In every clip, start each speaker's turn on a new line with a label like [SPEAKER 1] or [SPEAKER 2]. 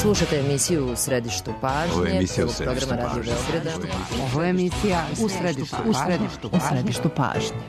[SPEAKER 1] Slušate emisiju U središtu pažnje, prvog programa Radio Beograda.
[SPEAKER 2] Ovo je emisija U središtu pažnje.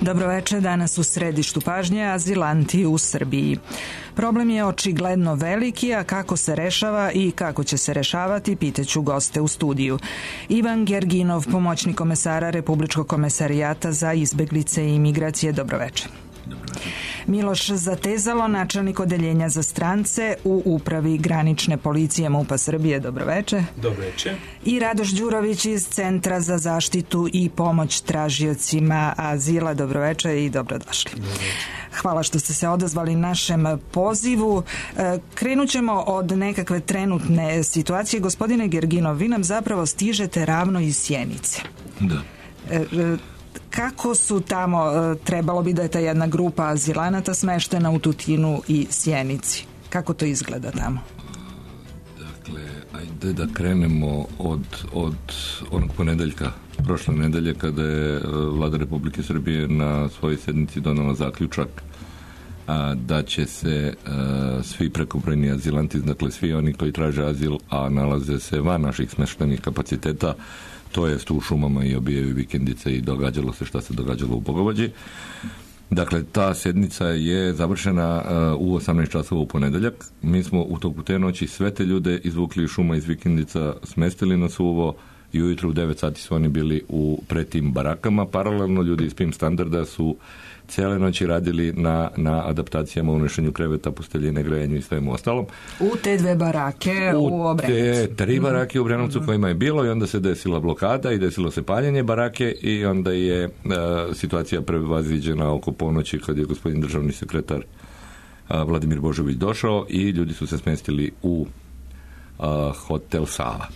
[SPEAKER 3] Dobroveče, danas u središtu pažnje azilanti u Srbiji. Problem je očigledno veliki, a kako se rešava i kako će se rešavati, pitaću goste u studiju. Ivan Gerginov, pomoćnik komesara Republičkog komesarijata za izbeglice i imigracije. Dobroveče. Miloš Zatezalo, načelnik odeljenja za strance u Upravi granične policije MUP-a Srbije. Dobroveče.
[SPEAKER 4] Dobroveče.
[SPEAKER 3] I Radoš Đurović iz Centra za zaštitu i pomoć tražiocima azila. Dobroveče i dobrodošli.
[SPEAKER 4] Dobroveče.
[SPEAKER 3] Hvala što ste se odazvali našem pozivu. Krenut ćemo od nekakve trenutne situacije. Gospodine Gerginov, vi nam zapravo stižete ravno iz Sjenice.
[SPEAKER 4] Da.
[SPEAKER 3] Kako su tamo, trebalo bi da je ta jedna grupa azilanata smeštena u Tutinu i Sjenici? Kako to izgleda tamo?
[SPEAKER 4] Dakle, ajde da krenemo od onog ponedeljka, prošle nedelje, kada je Vlada Republike Srbije na svojoj sednici donela zaključak da će se svi prekobrojni azilanti, dakle svi oni koji traže azil, a nalaze se van naših smeštenih kapaciteta, to jest u šumama i obijaju vikendice i događalo se šta se događalo u Bogovađi. Dakle, ta sednica je završena u 18 časova u ponedeljak. Mi smo u toku te noći sve te ljude izvukli iz šuma, iz vikendica, smestili na suvo i ujutro u 9 sati su oni bili pred tim barakama. Paralelno ljudi iz PIM standarda su cijele noći radili na adaptacijama, unošenju kreveta, posteljine, grejanju i svemu ostalom.
[SPEAKER 3] U te dve barake u Obrenovcu.
[SPEAKER 4] Te 3 barake u Obrenovcu kojima je bilo i onda se desila blokada i desilo se paljenje barake i onda je situacija prevaziđena oko ponoći kad je gospodin državni sekretar Vladimir Božović došao i ljudi su se smestili u hotel Sava.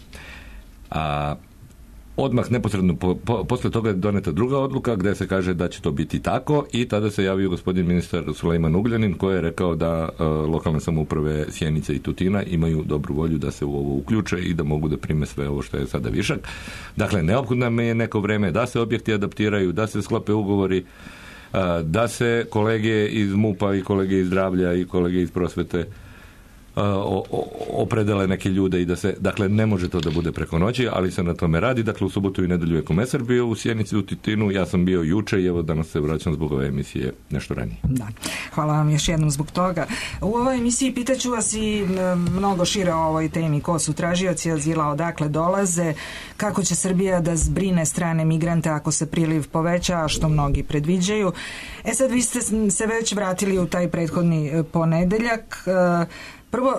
[SPEAKER 4] Odmah neposredno posle toga je doneta druga odluka gde se kaže da će to biti tako i tada se javio gospodin ministar Sulejman Ugljanin koji je rekao da lokalne samouprave Sjenice i Tutina imaju dobru volju da se u ovo uključe i da mogu da prime sve ovo što je sada višak. Dakle, neophodno nam je neko vreme da se objekti adaptiraju, da se sklope ugovori, da se kolege iz MUP-a i kolege iz zdravlja i kolege iz prosvete opredele neke ljude i da se, dakle, ne može to da bude preko noći, ali se na tome radi. Dakle, u subotu i nedelju je komesar bio u Sjenici, u Tutinu, ja sam bio juče i evo danas se vraćam zbog ove emisije nešto ranije.
[SPEAKER 3] Da, hvala vam još jednom zbog toga. U ovoj emisiji pitaću vas i mnogo šire o ovoj temi, ko su tražioci azila, odakle dolaze, kako će Srbija da zbrine strane migrante ako se priliv poveća, što mnogi predviđaju. Sad vi ste se već vratili u taj prethodni ponedeljak. Prvo,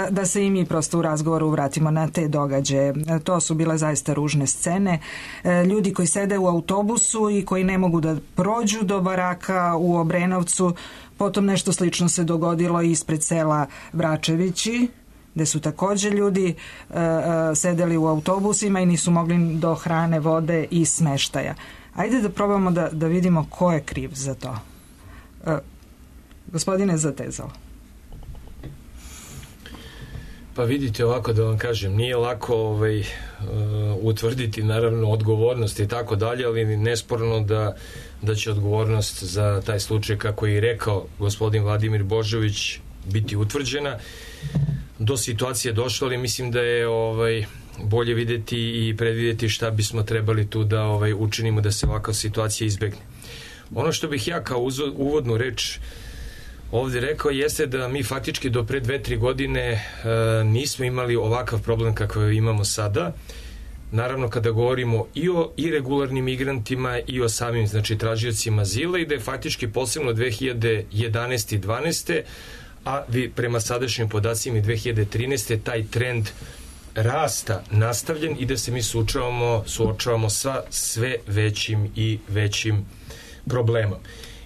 [SPEAKER 3] da se i mi prosto u razgovoru vratimo na te događaje. To su bile zaista ružne scene. Ljudi koji sede u autobusu i koji ne mogu da prođu do baraka u Obrenovcu. Potom nešto slično se dogodilo ispred sela Vračevići, gde su također ljudi sedeli u autobusima i nisu mogli do hrane, vode i smeštaja. Ajde da probamo da vidimo ko je kriv za to. Gospodine Zatezalo.
[SPEAKER 5] Pa vidite, ovako da vam kažem, nije lako utvrditi naravno odgovornost i tako dalje, ali nesporno da će odgovornost za taj slučaj, kako je i rekao gospodin Vladimir Božović, biti utvrđena. Do situacije došlo, ali mislim da je bolje videti i predvideti šta bismo trebali tu da učinimo da se ovakva situacija izbegne. Ono što bih ja kao uvodnu reč ovdje rekao jeste da mi faktički do pre 2-3 godine nismo imali ovakav problem kakav imamo sada. Naravno, kada govorimo i o iregularnim migrantima i o samim, znači, tražiocima azila, i da je faktički posebno 2011. i 2012. a prema sadašnjim podacima i 2013. taj trend rasta nastavljen i da se mi suočavamo sa sve većim i većim problemom.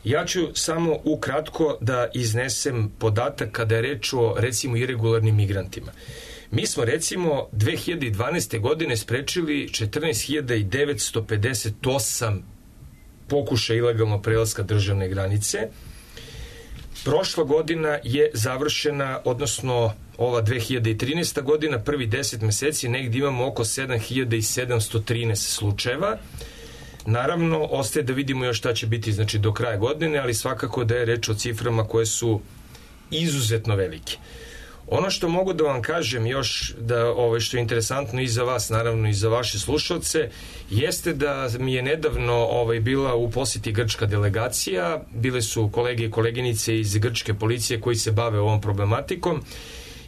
[SPEAKER 5] Ja ću samo ukratko da iznesem podatak kada je reč o, recimo, iregularnim migrantima. Mi smo, recimo, 2012. godine sprečili 14.958 pokušaja ilegalnog prelaska državne granice. Prošla godina je završena, odnosno ova 2013. godina, prvi 10 meseci, negdje imamo oko 7.713 slučajeva. Naravno, ostaje da vidimo još šta će biti, znači, do kraja godine, ali svakako da je reč o ciframa koje su izuzetno velike. Ono što mogu da vam kažem još, da što je interesantno i za vas, naravno i za vaše slušalce, jeste da mi je nedavno bila u posjeti grčka delegacija, bile su kolege i koleginice iz grčke policije koji se bave ovom problematikom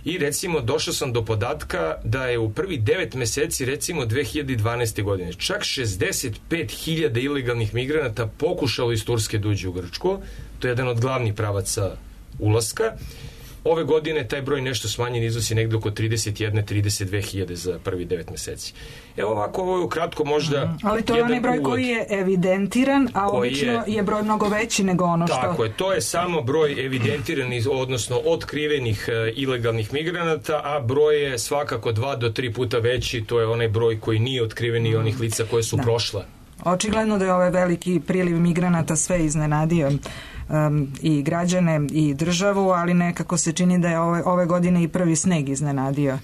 [SPEAKER 5] i, recimo, došao sam do podatka da je u prvi 9 meseci, recimo, 2012. godine čak 65.000 ilegalnih migranata pokušalo iz Turske da uđe u Grčku. To je jedan od glavnih pravaca ulaska. Ove godine taj broj nešto smanjen, iznosi negdje oko 31-32.000 za prvi 9 meseci. Evo ovako, ovo je ukratko možda...
[SPEAKER 3] Ali to je onaj broj koji je evidentiran, a obično je broj mnogo veći nego ono što...
[SPEAKER 5] Tako je, to je samo broj evidentiranih, odnosno otkrivenih ilegalnih migranata, a broj je svakako 2 do 3 puta veći, to je onaj broj koji nije otkriven i onih lica koje su prošla.
[SPEAKER 3] Očigledno da je ovaj veliki priliv migranata sve iznenadio i građane i državu, ali nekako se čini da je ove godine i prvi sneg iznenadio.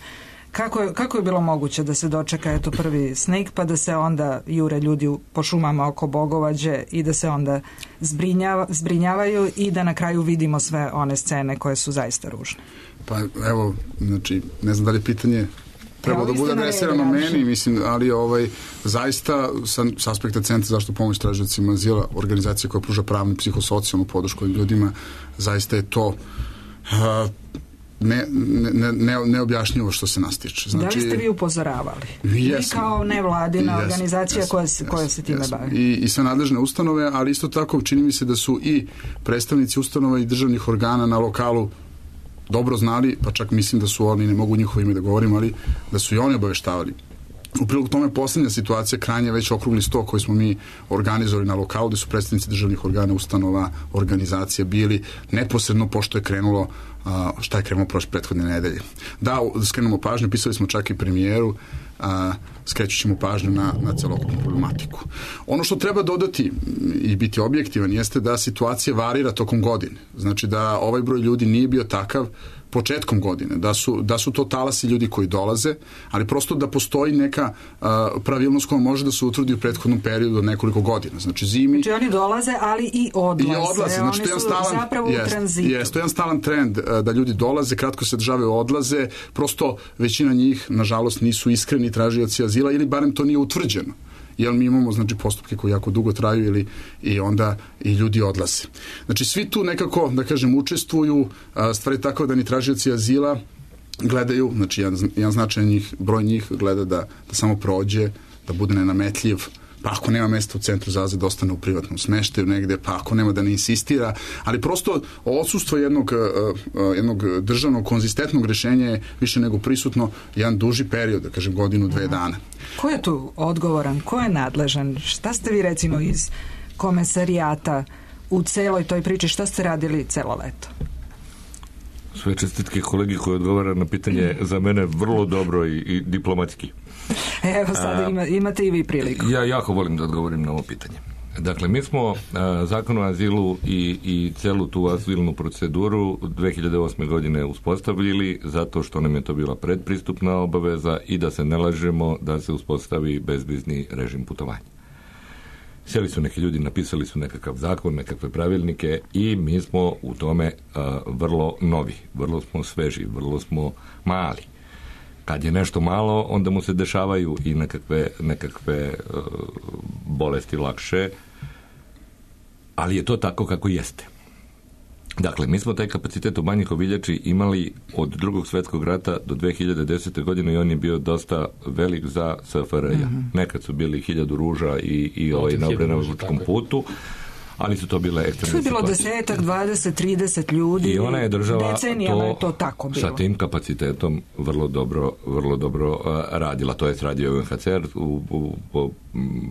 [SPEAKER 3] Kako je bilo moguće da se dočeka prvi sneg, pa da se onda jure ljudi po šumama oko Bogovađe i da se onda zbrinjavaju i da na kraju vidimo sve one scene koje su zaista ružne?
[SPEAKER 6] Pa evo, znači, ne znam da li je pitanje treba da bude adresirano meni, mislim, ali zaista s aspekta Centra za zaštitu pomoći tražiocima azila, organizacija koja pruža pravnu i psihosocijalnu podršku ljudima, zaista je to neobjašnjivo što se nas tiče. Znači,
[SPEAKER 3] da li ste vi upozoravali?
[SPEAKER 6] Jesam.
[SPEAKER 3] Vi kao nevladina organizacija koja se time bavi?
[SPEAKER 6] I sve nadležne ustanove, ali isto tako čini mi se da su i predstavnici ustanova i državnih organa na lokalu dobro znali, pa čak mislim da su oni, ne mogu njihovo ime da govorim, ali da su i oni obaveštavali. U prilog tome posljednja situacija, krajnje već okrugli sto koji smo mi organizovali na lokalu, gde su predstavnici državnih organa, ustanova, organizacija bili neposredno pošto je krenulo šta je krenulo prošle prethodne nedelje. Da skrenemo pažnju, pisali smo čak i premijeru, skrećut ćemo pažnju na celokupnu problematiku. Ono što treba dodati i biti objektivan jeste da situacija varira tokom godine. Znači da ovaj broj ljudi nije bio takav početkom godine, da su to talasi ljudi koji dolaze, ali prosto da postoji neka pravilnost koja može da se utvrdi u prethodnom periodu od nekoliko godina. Znači zimi...
[SPEAKER 3] Znači oni dolaze, ali i odlaze.
[SPEAKER 6] Znači,
[SPEAKER 3] oni su zapravo u tranzitu.
[SPEAKER 6] To je jedan stalan trend da ljudi dolaze, kratko se državaju, odlaze, prosto većina njih, nažalost, nisu iskreni tražioci azila ili barem to nije utvrđeno. Jer mi imamo, znači, postupke koji jako dugo traju i onda i ljudi odlaze. Znači, svi tu nekako, da kažem, učestvuju, stvari tako da ni tražioci azila gledaju, znači, jedan značajan broj njih gleda da samo prođe, da bude nenametljiv, pa ako nema mesta u centru za azil da ostane u privatnom smeštaju negde, pa ako nema da ne insistira, ali prosto odsustvo jednog državnog konzistentnog rješenja je više nego prisutno jedan duži period, da kažem godinu, 2 dana.
[SPEAKER 3] Ko je tu odgovoran? Ko je nadležan? Šta ste vi recimo iz komesarijata u celoj toj priči, šta ste radili celo leto?
[SPEAKER 4] Sve čestitke kolegi koji odgovara na pitanje za mene vrlo dobro i diplomatski.
[SPEAKER 3] Evo sada imate i vi priliku.
[SPEAKER 4] Ja jako volim da odgovorim na ovo pitanje. Dakle, mi smo zakon o azilu i celu tu azilnu proceduru 2008. godine uspostavili zato što nam je to bila predpristupna obaveza i da se ne lažemo da se uspostavi bezvizni režim putovanja. Sjeli su neki ljudi, napisali su nekakav zakon, nekakve pravilnike i mi smo u tome vrlo novi, vrlo smo sveži, vrlo smo mali. Kad je nešto malo, onda mu se dešavaju i nekakve bolesti lakše, ali je to tako kako jeste. Dakle, mi smo taj kapacitet u Banji Koviljači imali od Drugog svjetskog rata do 2010. godine i on je bio dosta velik za SFRJ. Nekad su bili 1000 ruža i na Obrenovačkom putu, ali su to bile ekstremne situacije.
[SPEAKER 3] To je bilo 10, 20, 30 ljudi.
[SPEAKER 4] I ona je država
[SPEAKER 3] decenijama je to tako bilo.
[SPEAKER 4] Sa tim kapacitetom vrlo dobro radila. To je radio UNHCR po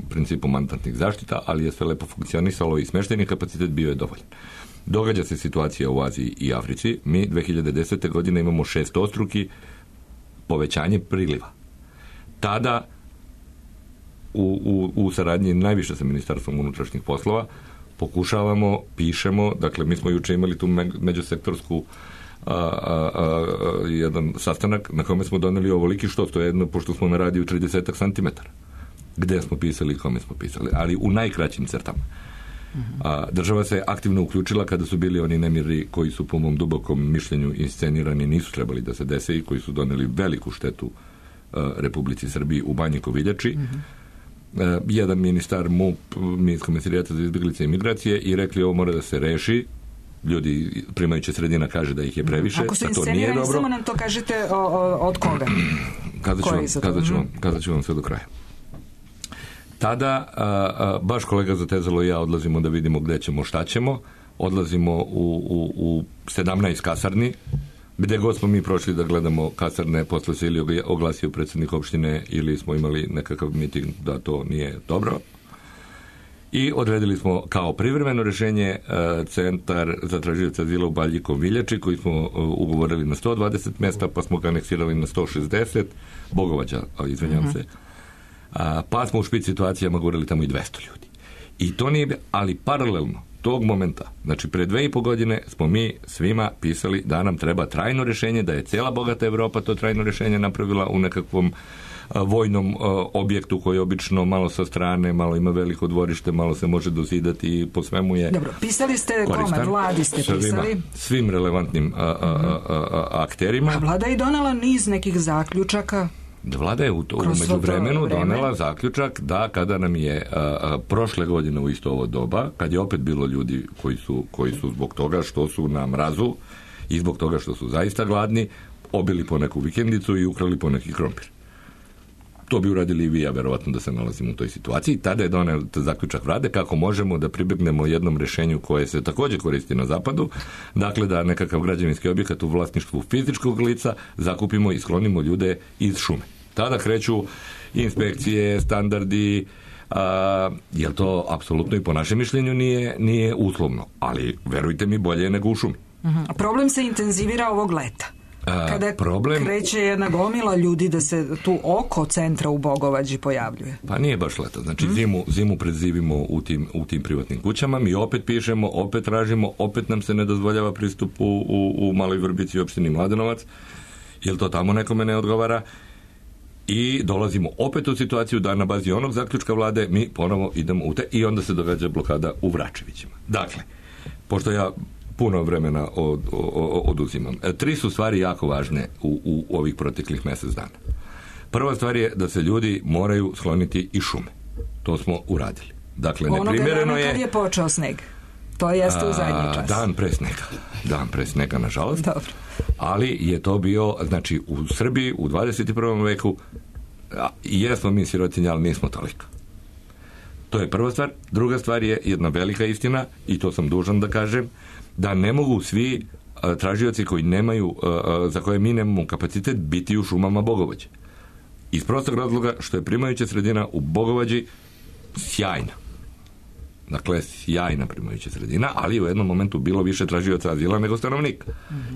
[SPEAKER 4] principu mandatnih zaštita, ali je sve lepo funkcionisalo i smješteni kapacitet bio je dovoljan. Događa se situacija u Aziji i Africi. Mi 2010. godine imamo 6-struki povećanje priliva. Tada u saradnji najviše sa Ministarstvom unutrašnjih poslova pokušavamo, pišemo, dakle mi smo juče imali tu međusektorsku jedan sastanak na kome smo doneli ovoliki što, to je jedno, pošto smo na radiju 30 cm. Gde smo pisali i kome smo pisali, ali u najkraćim crtama. Država se aktivno uključila kada su bili oni nemiri koji su po mom dubokom mišljenju inscenirani, nisu trebali da se dese i koji su doneli veliku štetu Republici Srbiji u Banji Koviljači. Jedan ministar MUP, Ministarskog komesarijata za izbjeglice i migracije, i rekli ovo mora da se reši. Ljudi, primajuća sredina kaže da ih je previše.
[SPEAKER 3] Ako su inscenirani, samo nam to kažete od koga?
[SPEAKER 4] Kazat ću vam sve do kraja. Tada, baš kolega Zatezalo i ja odlazimo da vidimo gde ćemo, šta ćemo. Odlazimo u 17 kasarni, gde god smo mi prošli da gledamo kasarne, posle se ili oglasio predsjednik opštine ili smo imali nekakav miting da to nije dobro. I odredili smo kao privremeno rješenje centar za tražioce azila u Banji Koviljači, koji smo ugovorili na 120 mjesta, pa smo ga aneksirali na 160, Bogovađa, izvinjam se. Pa smo u špic situacijama govorili tamo i 200 ljudi. I to nije, ali paralelno tog momenta, znači pre 2,5 godine smo mi svima pisali da nam treba trajno rješenje, da je cijela bogata Evropa to trajno rješenje napravila u nekakvom vojnom objektu koji je obično malo sa strane, malo ima veliko dvorište, malo se može dozidati i po svemu je.
[SPEAKER 3] Dobro, pisali ste
[SPEAKER 4] koristan.
[SPEAKER 3] Kome? Vladi ste pisali?
[SPEAKER 4] Svim relevantnim akterima.
[SPEAKER 3] A vlada je donela niz nekih zaključaka.
[SPEAKER 4] Vlada je u međuvremenu donela zaključak da kada nam je prošle godine u isto ovo doba, kad je opet bilo ljudi koji su zbog toga što su na mrazu i zbog toga što su zaista gladni, obili po neku vikendicu i ukrali po neki krompir. To bi uradili i vi, ja verovatno da se nalazimo u toj situaciji. Tada je donel zaključak vlade kako možemo da pribegnemo jednom rješenju koje se također koristi na zapadu, dakle da nekakav građevinski objekat u vlasništvu fizičkog lica zakupimo i sklonimo ljude iz šume. Tada kreću inspekcije, standardi, jer to apsolutno i po našem mišljenju nije uslovno, ali verujte mi, bolje je nego u šumi.
[SPEAKER 3] Problem se intenzivira ovog leta. Kada kreće jedna gomila ljudi da se tu oko centra u Bogovađi pojavljuje.
[SPEAKER 4] Pa nije baš leta. Znači zimu predzivimo u tim privatnim kućama. Mi opet pišemo, opet tražimo, opet nam se ne dozvoljava pristup u Maloj Vrbici i opštini Mladenovac, jer to tamo nekome ne odgovara. I dolazimo opet u situaciju da na bazi onog zaključka vlade mi ponovo idemo i onda se događa blokada u Vračevićima. Dakle, pošto ja puno vremena oduzimam. 3 su stvari jako važne u ovih proteklih mjesec dana. Prva stvar je da se ljudi moraju skloniti iz šume. To smo uradili. Dakle, neprimjereno je...
[SPEAKER 3] Kad je počeo sneg. To jeste u zadnji čas.
[SPEAKER 4] Dan pre snega, nažalost.
[SPEAKER 3] Dobro.
[SPEAKER 4] Ali je to bio, znači, u Srbiji u 21. veku jesmo mi sirotinja, ali nismo toliko. To je prva stvar. Druga stvar je jedna velika istina, i to sam dužan da kažem, da ne mogu svi tražioci koji nemaju, za koje mi nemamo kapacitet, biti u šumama Bogovađe. Iz prostog razloga što je primajuća sredina u Bogovađi sjajna. Dakle, sjajna primajuća sredina, ali u jednom momentu bilo više tražioca azila nego stanovnika.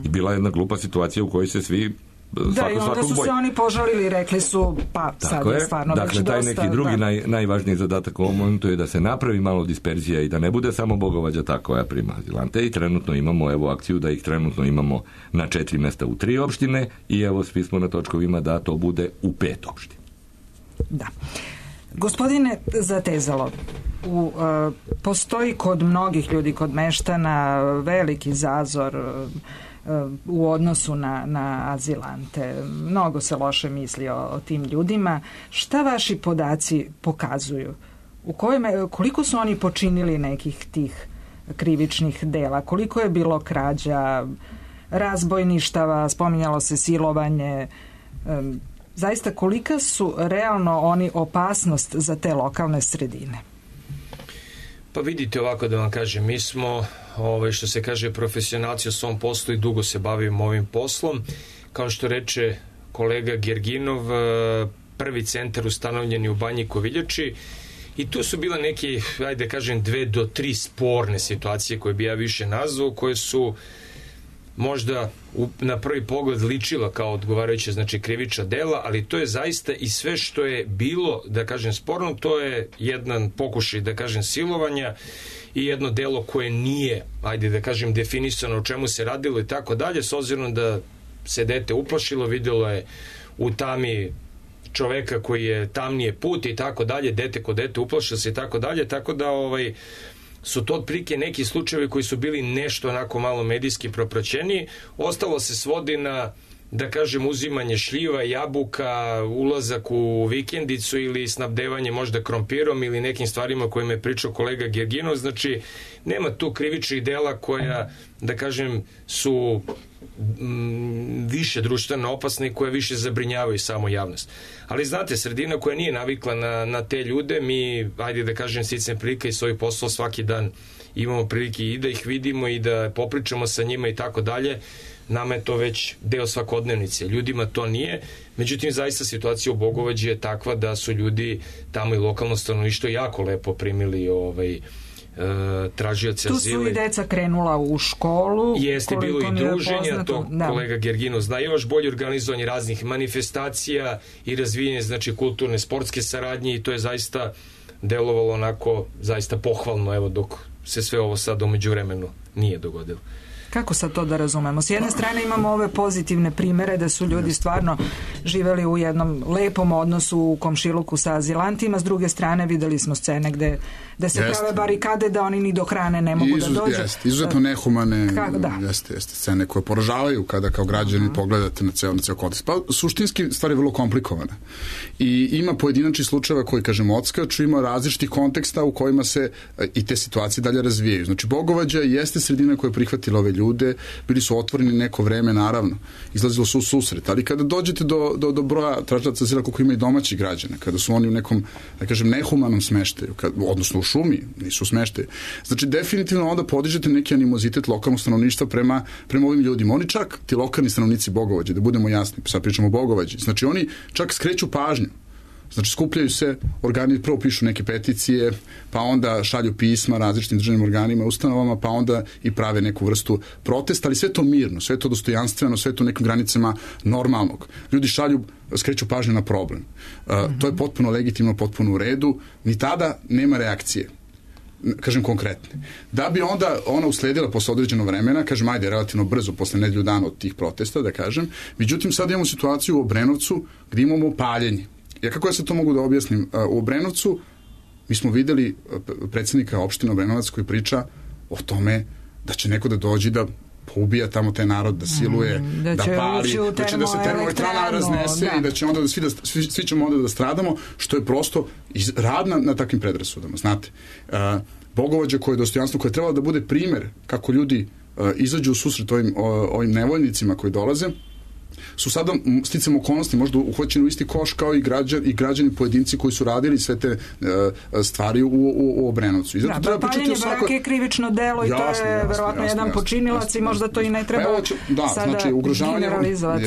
[SPEAKER 4] I bila jedna glupa situacija u kojoj se svi
[SPEAKER 3] Da, i onda su se oni požalili i rekli su, pa sad je stvarno već dosta.
[SPEAKER 4] Dakle, taj neki drugi najvažniji zadatak u ovom momentu je da se napravi malo disperzija i da ne bude samo Bogovađa ta koja prima azilante, i trenutno imamo akciju da ih trenutno imamo na 4 mesta u 3 opštine i svi smo na točkovima da to bude u 5 opština.
[SPEAKER 3] Da. Gospodine Zatezalo, postoji kod mnogih ljudi, kod meštana, veliki zazor u odnosu na azilante. Mnogo se loše misli o tim ljudima. Šta vaši podaci pokazuju? Koliko su oni počinili nekih tih krivičnih dela? Koliko je bilo krađa, razbojništava, spominjalo se silovanje? Zaista, kolika su realno oni opasnost za te lokalne sredine?
[SPEAKER 5] Pa vidite, ovako da vam kažem, mi smo, što se kaže, profesionalci u svom poslu i dugo se bavimo ovim poslom. Kao što reče kolega Gerginov, prvi centar ustanovljen je u Banji Koviljači i tu su bile neke, ajde kažem, 2 do 3 sporne situacije koje bi ja više nazvao, koje su možda na prvi pogled ličila kao odgovarajuće, znači, krivična dela, ali to je zaista i sve što je bilo, da kažem, sporno, to je jedan pokušaj, da kažem, silovanja i jedno delo koje nije, ajde da kažem, definisano o čemu se radilo i tako dalje, s obzirom da se dete uplašilo, vidjelo je u tami čoveka koji je tamnije put i tako dalje, dete ko dete uplašilo se i tako dalje, tako da su to otprilike neki slučajevi koji su bili nešto onako malo medijski propraćeni. Ostalo se svodi na, da kažem, uzimanje šljiva, jabuka, ulazak u vikendicu ili snabdevanje možda krompirom ili nekim stvarima kojima je pričao kolega Gerginov. Znači, nema tu krivičnih dela koja, da kažem, su više društveno opasne i koje više zabrinjavaju samo javnost. Ali znate, sredina koja nije navikla na te ljude, mi, ajde da kažem, sticam prilika i svoj posao svaki dan imamo prilike i da ih vidimo i da popričamo sa njima i tako dalje. Nama je to već deo svakodnevnice. Ljudima to nije. Međutim, zaista situacija u Bogovađi je takva da su ljudi tamo i lokalno stanovništvo jako lepo primili tražioce azile.
[SPEAKER 3] Tu su i deca krenula u školu.
[SPEAKER 5] Jeste, bilo i druženja, to kolega Gerginov zna, još bolje organizovanje raznih manifestacija i razvijenje, znači, kulturne, sportske saradnje, i to je zaista delovalo onako zaista pohvalno, dok se sve ovo sad u međuvremenu nije dogodilo.
[SPEAKER 3] Kako sad to da razumemo? S jedne strane imamo ove pozitivne primere da su ljudi stvarno živeli u jednom lepom odnosu u komšiluku sa azilantima, s druge strane videli smo scene gde se prave barikade da oni ni do hrane ne mogu da dođu.
[SPEAKER 6] Izuzetno nehumane scene koje poražavaju kada kao građani pogledate na ceo kontekst. Pa suštinski stvar je vrlo komplikovana. I ima pojedinačni slučajeva koji, kažem, odskaču, ima različitih konteksta u kojima se i te situacije dalje razvijaju. Znači, Bogovađa jeste sredina koja je prihvatila ove ljude, bili su otvoreni neko vreme, naravno, izlazilo su u susret, ali kada dođete do broja tražilaca azila koliko ima i domaćih građana, kada su oni u nekom, da kažem, nehumanom smeštaju, odnosno u šumi, nisu u smeštaju, znači definitivno onda podižete neki animozitet lokalnog stanovništva prema ovim ljudima. Oni čak, ti lokalni stanovnici Bogovađe, da budemo jasni, sad pričamo o Bogovađi, znači oni čak skreću pažnju. Znači, skupljaju se, organi prvo pišu neke peticije, pa onda šalju pisma različitim državnim organima, ustanovama, pa onda i prave neku vrstu protesta, ali sve to mirno, sve to dostojanstveno, sve to u nekim granicama normalnog. Ljudi skreću pažnju na problem. To je potpuno legitimno, potpuno u redu, ni tada nema reakcije, kažem, konkretne. Da bi onda ona usledila posle određenog vremena, kažem, ajde, relativno brzo, posle nedelju dana od tih protesta, da kažem, međutim, sad imamo situaciju u Obrenovcu gde imamo paljenje. Kako ja se to mogu da objasnim? U Obrenovcu mi smo videli predsjednika opštine Obrenovac koji priča o tome da će neko da dođe da poubija tamo taj narod, da siluje, da pali, da će da se termoelektrana raznese i da će onda svi ćemo onda da stradamo, što je prosto rad na takvim predrasudama, znate. Bogovađa koje je dostojanstvo, koje je trebalo da bude primer kako ljudi izađu u susret ovim nevoljnicima koji dolaze, su sada sticam okolnosti možda uhvaćeni u isti koš kao i građani pojedinci koji su radili sve te stvari u Obrenovcu.
[SPEAKER 3] Da, paljenje brake je krivično delo i to je verovatno jedan počinilac i možda to i ne treba sada generalizovati.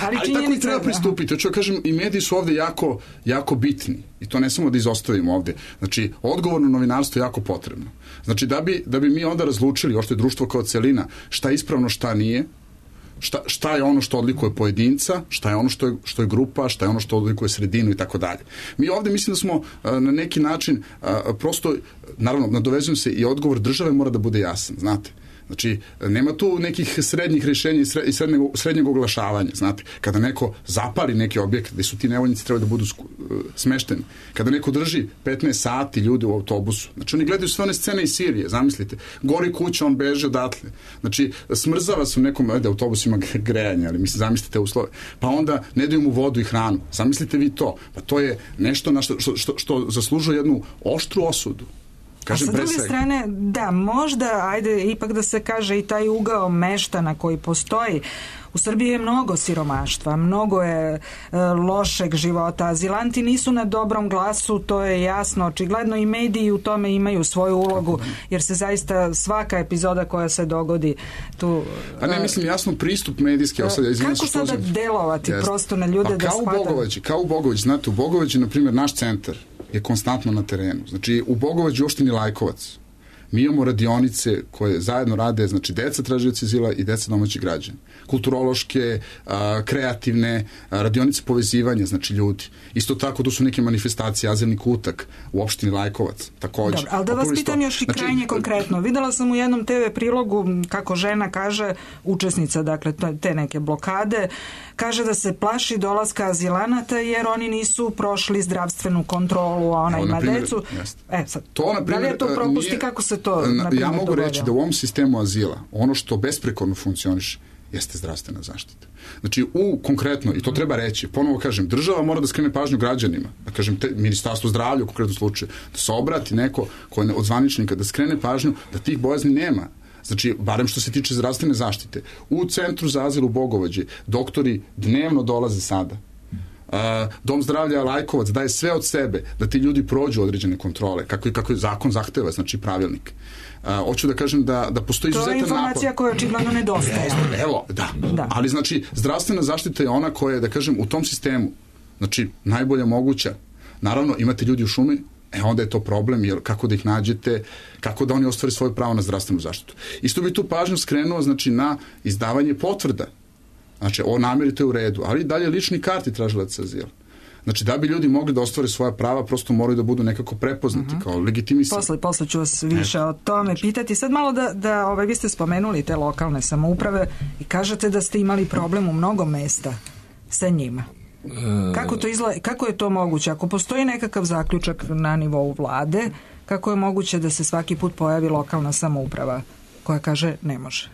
[SPEAKER 6] Ali tako i treba pristupiti. Hoću da kažem, i mediji su ovde jako bitni i to ne samo da izostavimo ovde. Znači, odgovorno novinarstvo je jako potrebno. Znači, da bi mi onda razlučili, ošto je društvo kao celina, šta je ispravno, šta nije, šta je ono što odlikuje pojedinca, šta je ono što je grupa, šta je ono što odlikuje sredinu i tako dalje. Mi ovde mislim da smo na neki način prosto, naravno, nadovezujem se i odgovor države mora da bude jasan, znate. Znači, nema tu nekih srednjih rješenja i srednjeg oglašavanja, znate. Kada neko zapali neki objekt gde su ti nevoljnici treba da budu smešteni, kada neko drži 15 sati ljudi u autobusu, znači oni gledaju sve one scene iz Sirije, zamislite, gori kuća, on beže odatle, znači smrzava se u nekom, autobus ima grejanje, ali mislim, zamislite te uslove, pa onda ne daju mu vodu i hranu, zamislite vi to, pa to je nešto na što zaslužuje jednu oštru osudu.
[SPEAKER 3] A sa druge strane, da, možda, ajde, ipak da se kaže i taj ugao meštana koji postoji. U Srbiji je mnogo siromaštva, mnogo je lošeg života. Azilanti nisu na dobrom glasu, to je jasno, očigledno i mediji u tome imaju svoju ulogu, jer se zaista svaka epizoda koja se dogodi tu...
[SPEAKER 6] Pa ne, mislim, jasno pristup medijski...
[SPEAKER 3] Kako sada delovati prosto na ljude da shvataju?
[SPEAKER 6] Kao u Bogovići, znate, u Bogovići, na primjer, naš centar je konstantno na terenu. Znači, u Bogovađu opštini Lajkovac mi imamo radionice koje zajedno rade, znači, deca tražioci azila i deca domaćih građana. Kulturološke, kreativne, radionice povezivanja, znači, ljudi. Isto tako, tu su neke manifestacije, azilni kutak u opštini Lajkovac, takođe.
[SPEAKER 3] Dobro, ali da vas pitam još i krajnje konkretno. Videla sam u jednom TV prilogu kako žena kaže, učesnica, dakle, te neke blokade, kaže da se plaši dolaska azilanata jer oni nisu prošli zdravstvenu kontrolu, a ona ima decu. Sad,
[SPEAKER 6] to, na primjer,
[SPEAKER 3] da li je to propust i kako se to, na primjer,
[SPEAKER 6] ja mogu reći da u ovom sistemu azila ono što besprekorno funkcioniše jeste zdravstvena zaštita. Znači, konkretno, i to treba reći, ponovo kažem, država mora da skrene pažnju građanima, da kažem, Ministarstvo zdravlja u konkretnom slučaju, da se obrati neko koji od zvaničnika, da skrene pažnju da tih bojazni nema. Znači, barem što se tiče zdravstvene zaštite. U centru za azil u Bogovađi doktori dnevno dolaze sada. Dom zdravlja Lajkovac daje sve od sebe da ti ljudi prođu određene kontrole, kako je zakon zahteva, znači pravilnik. Hoću da kažem da postoji izuzetan napor.
[SPEAKER 3] To je informacija koja očigledno nedostaje.
[SPEAKER 6] Evo, da. Ali znači, zdravstvena zaštita je ona koja je, da kažem, u tom sistemu, znači, najbolja moguća. Naravno, imate ljudi u šumi, onda je to problem, jer kako da ih nađete, kako da oni ostvare svoje pravo na zdravstvenu zaštitu. Isto bi tu pažnju skrenuo, znači, na izdavanje potvrda. Znači, o nameri to je u redu, ali dalje lični karti tražilaca azila. Znači, da bi ljudi mogli da ostvare svoja prava, prosto moraju da budu nekako prepoznati kao legitimisani.
[SPEAKER 3] Posle ću vas više o tome pitati. Sad malo vi ste spomenuli te lokalne samouprave i kažete da ste imali problem u mnogo mesta sa njima. Kako to izgleda, kako je to moguće? Ako postoji nekakav zaključak na nivou vlade, kako je moguće da se svaki put pojavi lokalna samouprava koja kaže ne može?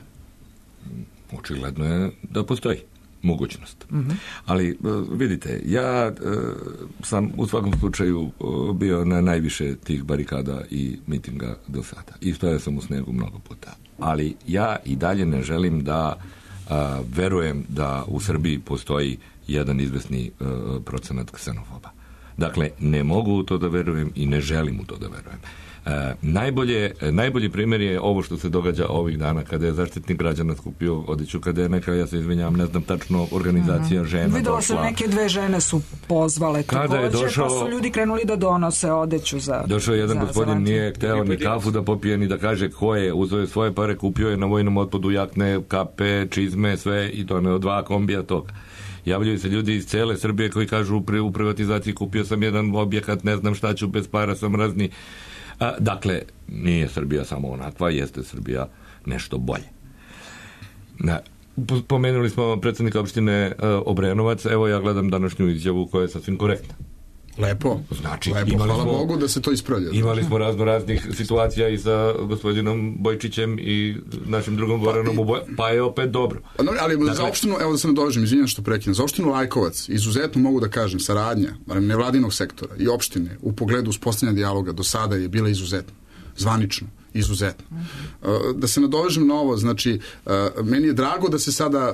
[SPEAKER 4] Očigledno je da postoji mogućnost. Ali vidite, ja sam u svakom slučaju bio na najviše tih barikada i mitinga do sada. I stojao sam u snegu mnogo puta. Ali ja i dalje ne želim da verujem da u Srbiji postoji jedan izvesni procenat ksenofoba. Dakle, ne mogu u to da verujem i ne želim u to da verujem. Najbolji primjer je ovo što se događa ovih dana kada je Zaštitnik građana skupio odeću, kada je neka, ja se izvinjavam, ne znam tačno, organizacija žena
[SPEAKER 3] Videla
[SPEAKER 4] došla.
[SPEAKER 3] sam neke dve žene su pozvale takođe, pa su ljudi krenuli da donose odeću za...
[SPEAKER 4] Došao jedan gospodin, nije hteo ni kafu da popije, ni da kaže ko je, uzeo je svoje pare, kupio je na vojnom otpadu jakne, kape, čizme, sve i to ne od 2 kombija toga. Javljaju se ljudi iz cele Srbije koji kažu u privatizaciji kupio sam jedan objekat, ne znam šta ću, bez para sam razni. Dakle, nije Srbija samo onakva, jeste Srbija nešto bolje. Pomenuli smo predsjednika opštine Obrenovac, evo ja gledam današnju izjavu koja je sasvim korektna.
[SPEAKER 6] Lepo, hvala Bogu da se to ispravlja.
[SPEAKER 4] Imali smo raznih situacija i sa gospodinom Bojčićem i našim drugom Goranom, pa je opet dobro.
[SPEAKER 6] Ali za opštinu, evo da se nadovežem, izvinjam što prekinem, za opštinu Lajkovac izuzetno mogu da kažem, saradnja nevladinog sektora i opštine u pogledu uspostavljanja dijaloga do sada je bila izuzetno, zvanično. Izuzetno. Da se nadovežem na ovo, znači, meni je drago da se sada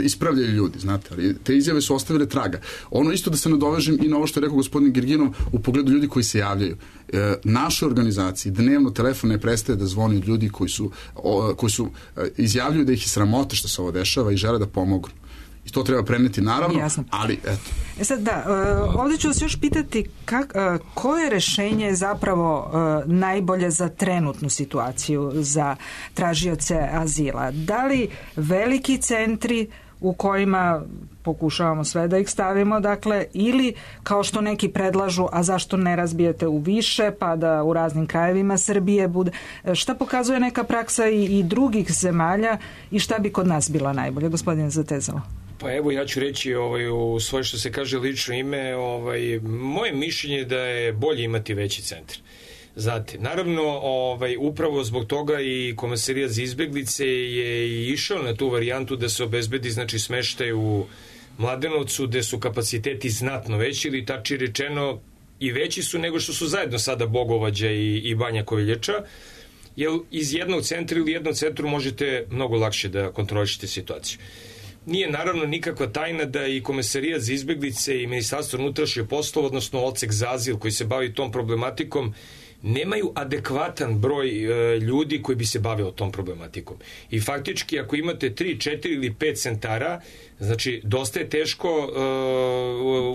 [SPEAKER 6] ispravljaju ljudi, znate, ali te izjave su ostavile traga. Ono isto da se nadovežem i na ovo što je rekao gospodin Girginov u pogledu ljudi koji se javljaju. Naše organizaciji dnevno telefon ne prestaje da zvoni od ljudi koji su izjavljuju da ih je sramota što se ovo dešava i žele da pomognu. I to treba preneti, naravno,
[SPEAKER 3] jasno.
[SPEAKER 6] Ali eto.
[SPEAKER 3] Sad da, ovdje ću vas još pitati koje rešenje zapravo najbolje za trenutnu situaciju za tražioce azila? Da li veliki centri u kojima pokušavamo sve da ih stavimo, dakle, ili kao što neki predlažu, a zašto ne razbijete u više, pa da u raznim krajevima Srbije bude. Šta pokazuje neka praksa i drugih zemalja i šta bi kod nas bila najbolje? Gospodine Zatezalo.
[SPEAKER 5] Pa evo, ja ću reći u svoje, što se kaže, lično ime, moje mišljenje je da je bolje imati veći centar. Znate, naravno, upravo zbog toga i Komesarijat za izbeglice je išao na tu varijantu da se obezbedi, znači, smeštaj u Mladenovcu, gde su kapaciteti znatno veći, ili tači rečeno i veći su nego što su zajedno sada Bogovađa i Banja Koviljača, jer iz jednog centra ili jednom centru možete mnogo lakše da kontrolišete situaciju. Nije naravno nikakva tajna da i Komesarijat za izbeglice i Ministarstvo unutrašnjih poslova, odnosno Odsek za azil koji se bavi tom problematikom, nemaju adekvatan broj ljudi koji bi se bavio tom problematikom. I faktički, ako imate 3, 4 ili 5 centara, znači dosta je teško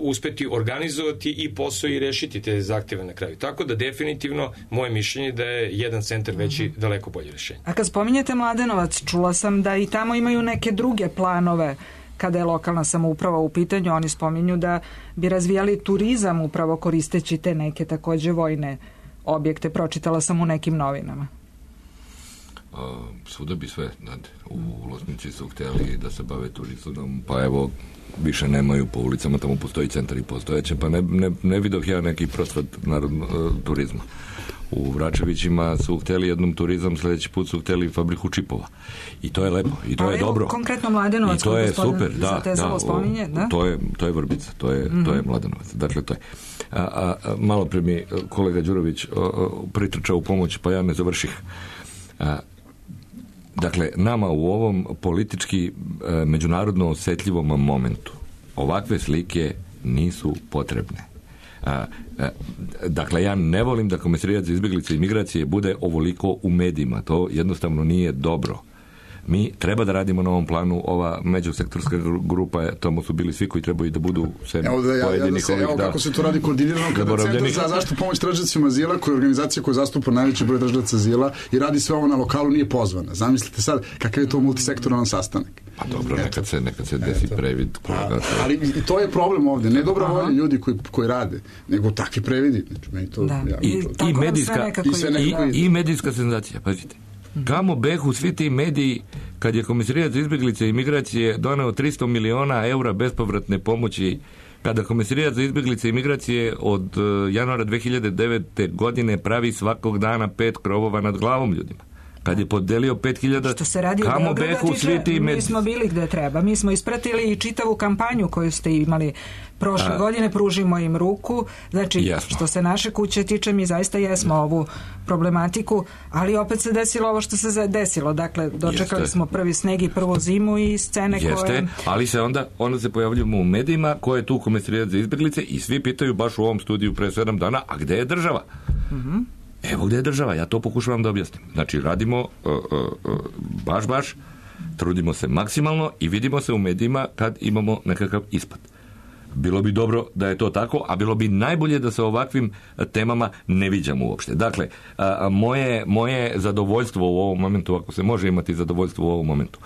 [SPEAKER 5] uspeti organizovati i posao i rešiti te zahteve na kraju. Tako da definitivno moje mišljenje da je jedan centar veći daleko bolje rešenje.
[SPEAKER 3] A kad spominjete Mladenovac, čula sam da i tamo imaju neke druge planove kada je lokalna samouprava u pitanju. Oni spominju da bi razvijali turizam upravo koristeći te neke takođe vojne objekte, pročitala sam u nekim novinama.
[SPEAKER 4] Svuda bi sve, znate, u Loznici su htjeli da se bave turizmom, pa evo, više nemaju po ulicama, tamo postoji centar i postojeće, pa ne vidoh ja neki prosvat turizma. U Vračevićima su htjeli jednom turizam, sljedeći put su htjeli fabriku čipova. I to je lepo, i to je dobro.
[SPEAKER 3] Konkretno Mladenovac,
[SPEAKER 4] i to je super,
[SPEAKER 3] spominje, da?
[SPEAKER 4] To je Vrbica, to je Mladenovac. Dakle, to je. Malo pre mi kolega Đurović pritrčao u pomoć, pa ja ne završih. Dakle, nama u ovom politički međunarodno osjetljivom momentu ovakve slike nisu potrebne. Dakle, ja ne volim da Komesarijat za izbeglice i migracije bude ovoliko u medijima. To jednostavno nije dobro. Mi treba da radimo na ovom planu. Ova međusektorska grupa, tamo su bili svi koji trebaju da budu pojedinih ovih.
[SPEAKER 6] Evo kako se to radi koordinirano kada Centar za zaštitu pomoć tražiocima azila, koja je organizacija koja zastupa najveći broj tražioca azila i radi sve ovo na lokalu, nije pozvana. Zamislite sad kakav je to multisektoralan sastanak.
[SPEAKER 4] Pa dobro, nekad se desi previd.
[SPEAKER 6] Ali i to je problem ovdje. Ne dobra volja ljudi koji rade, nego takvi previdi.
[SPEAKER 4] I medijska senzacija, pazite. Kamo behu svi ti mediji kad je Komesarijat za izbeglice i migracije doneo 300 miliona eura bespovratne pomoći, kada Komesarijat za izbeglice i migracije od januara 2009. godine pravi svakog dana 5 krovova nad glavom ljudima. Kad je podelio 5000,
[SPEAKER 3] što se radi
[SPEAKER 4] kamo behu svi ti mediji.
[SPEAKER 3] Mi smo bili gde treba. Mi smo ispratili i čitavu kampanju koju ste imali prošle godine, pružimo im ruku. Znači, jasno. Što se naše kuće tiče, mi zaista jesmo ovu problematiku, ali opet se desilo ovo što se desilo. Dakle, dočekali smo prvi sneg i prvu zimu i scene koje...
[SPEAKER 4] Ali se onda se pojavljujemo u medijima ko je tu Komesarijat za izbeglice i svi pitaju baš u ovom studiju pre 7 dana, a gde je država? Evo gde je država, ja to pokušavam da objasnim. Znači, radimo baš, trudimo se maksimalno i vidimo se u medijima kad imamo nekakav ispad. Bilo bi dobro da je to tako, a bilo bi najbolje da se ovakvim temama ne viđamo uopšte. Dakle, moje zadovoljstvo u ovom momentu, ako se može imati zadovoljstvo u ovom momentu,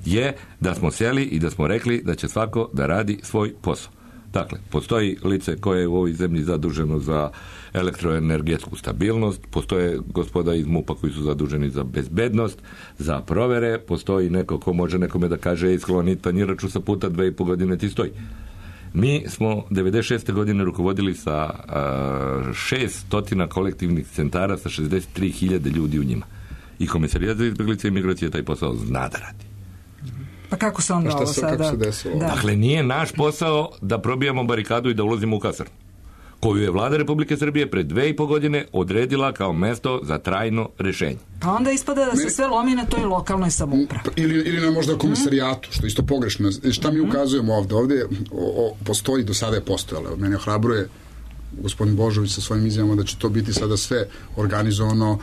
[SPEAKER 4] je da smo sjeli i da smo rekli da će svako da radi svoj posao. Dakle, postoji lice koje je u ovoj zemlji zaduženo za elektroenergetsku stabilnost, postoje gospoda iz MUP-a koji su zaduženi za bezbednost, za provere, postoji neko ko može nekome da kaže skloni tanjiraču sa puta 2,5 godine ti stoji. Mi smo 96. godine rukovodili sa 600 kolektivnih centara sa 63.000 ljudi u njima. I Komesarijat za izbeglice i migracije taj posao zna da radi.
[SPEAKER 3] Pa kako se onda ovo sada...
[SPEAKER 4] Dakle, nije naš posao da probijamo barikadu i da ulazimo u kasarnu, koju je vlada Republike Srbije pred 2,5 godine odredila kao mesto za trajno rešenje.
[SPEAKER 3] Pa onda ispada da se sve lomi na toj lokalnoj samoupravi.
[SPEAKER 6] Ili na možda komisarijatu, što je isto pogrešno. Šta mi ukazujemo ovde? Ovde postoji, do sada je postojalo. Mene ohrabruje gospodin Božović sa svojim izjavama da će to biti sada sve organizovano,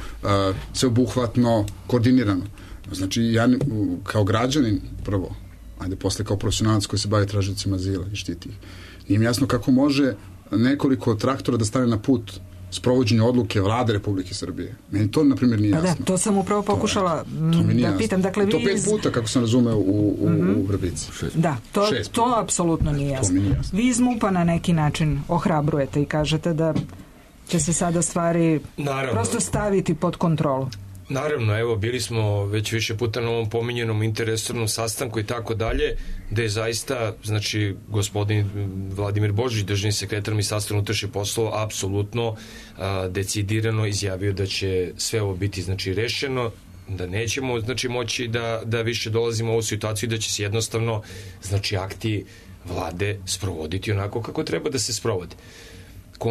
[SPEAKER 6] sve obuhvatno, koordinirano. Znači, ja kao građanin prvo, ajde posle kao profesionalac koji se bavi tražiocima azila i štiti ih. Nije mi jasno kako može nekoliko traktora da stane na put sprovođenju odluke Vlade Republike Srbije. Meni to, na primjer, nije jasno.
[SPEAKER 3] Da, to sam upravo pokušala da pitam. Dakle,
[SPEAKER 6] to 5 puta, kako sam razumeo, u Vrbici.
[SPEAKER 3] Da, to apsolutno nije jasno. Vi iz MUP-a na neki način ohrabrujete i kažete da će se sada stvari prosto staviti pod kontrolu.
[SPEAKER 5] Naravno, evo, bili smo već više puta na ovom pominjenom interresornom sastanku i tako dalje, da je zaista, znači, gospodin Vladimir Božić, državni sekretar Ministarstva unutrašnjih poslova, apsolutno decidirano izjavio da će sve ovo biti, znači, rešeno, da nećemo, znači, moći da više dolazimo u ovu situaciju i da će se jednostavno, znači, akti vlade sprovoditi onako kako treba da se sprovode.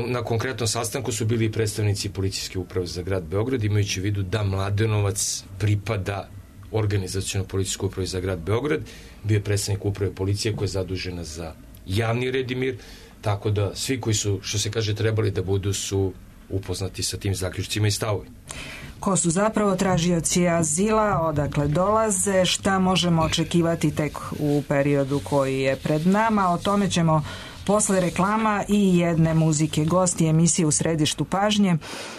[SPEAKER 5] Na konkretnom sastanku su bili predstavnici policijske uprave za grad Beograd, imajući u vidu da Mladenovac pripada organizaciono policijskoj upravi za grad Beograd, bio je predstavnik uprave policije koja je zadužena za javni red i mir, tako da svi koji su, što se kaže, trebali da budu su upoznati sa tim zaključcima i stavovima.
[SPEAKER 3] Ko su zapravo tražioci azila, odakle dolaze, šta možemo očekivati tek u periodu koji je pred nama, o tome ćemo posle reklama i jedne muzike. Gosti emisije U središtu pažnje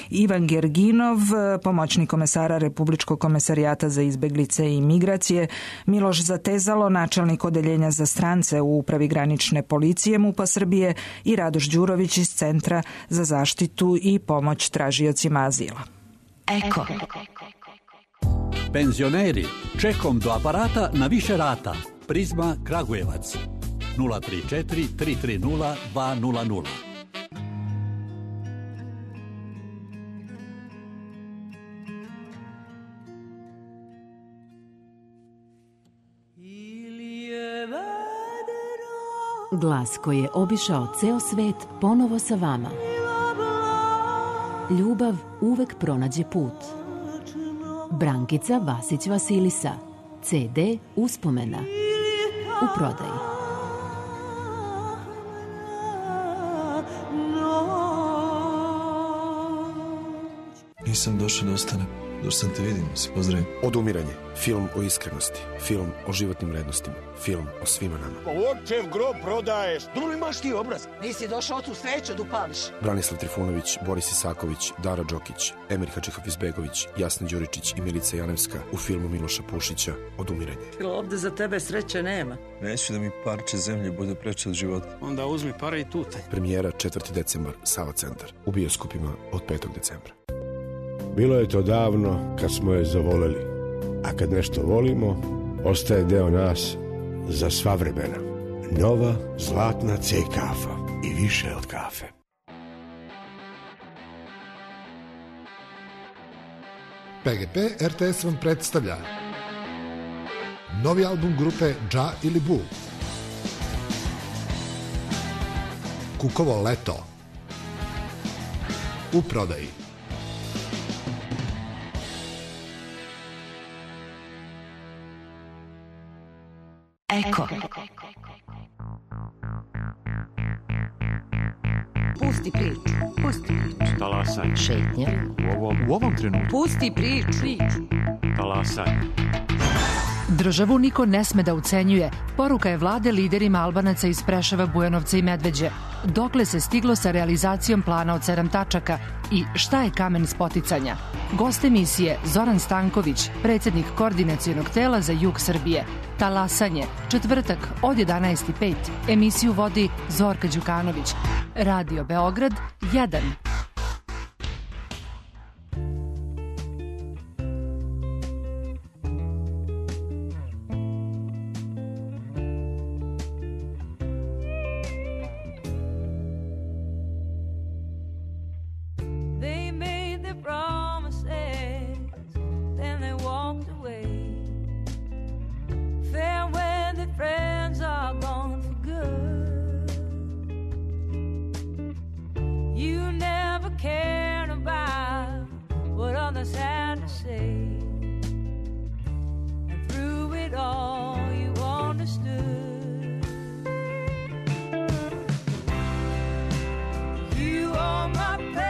[SPEAKER 3] Ivan Gerginov, pomoćnik komesara Republičkog komesarijata za izbeglice i migracije, Miloš Zatezalo, načelnik odeljenja za strance u Upravi granične policije MUP-a Srbije i Radoš Đurović iz Centra za zaštitu i pomoć tražiocima azila.
[SPEAKER 7] Eko. Penzioneri, čekom do aparata na više rata. Prizma Kragujevac. 034 330 200.
[SPEAKER 8] Glas koji je obišao ceo svet ponovo sa vama. Ljubav uvek pronađe put. Brankica Vasić Vasilisa. CD Uspomena. U prodaji.
[SPEAKER 9] Nisam došao da ostanem. Došao sam te vidim, se pozdravim.
[SPEAKER 10] Odumiranje. Film o iskrenosti. Film o životnim vrednostima. Film o svima nama.
[SPEAKER 11] Očev grob prodaješ. Dobro imaš ti obraz.
[SPEAKER 12] Nisi došao tu sveću da upališ.
[SPEAKER 10] Branislav Trifunović, Boris Isaković, Dara Đokić, Emir Hadžihafizbegović, Jasna Đuričić i Milica Janevska u filmu Miloša Pušića Odumiranje.
[SPEAKER 12] Ovde za tebe sreće nema.
[SPEAKER 9] Neću da mi parče zemlje bude preče od života.
[SPEAKER 11] Onda uzmi pare i tutaj.
[SPEAKER 10] Premijera 4. decembar, Sava centar. U bioskopima od 5. decembra.
[SPEAKER 13] Bilo je to davno kad smo je zavoleli, a kad nešto volimo, ostaje deo nas za sva vremena. Nova zlatna C kafa i više od kafe.
[SPEAKER 14] PGP RTS vam predstavlja novi album grupe Dža ili Bu. Kukovo leto. U prodaji.
[SPEAKER 7] Eko.
[SPEAKER 12] Pusti priču. Pusti priču.
[SPEAKER 1] Talasanje. Šetnja.
[SPEAKER 15] U ovom trenutku.
[SPEAKER 12] Pusti priču.
[SPEAKER 15] Talasanje.
[SPEAKER 16] Državu niko ne sme da ucenjuje. Poruka je vlade liderima Albanaca iz Preševa, Bujanovca i Medveđe. Dokle se stiglo sa realizacijom plana od 7 tačaka i šta je kamen spoticanja? Gost emisije Zoran Stanković, predsjednik koordinacionog tela za jug Srbije. Talasanje, četvrtak od 11:05. Emisiju vodi Zorka Đukanović. Radio Beograd 1.
[SPEAKER 17] You are my paradise.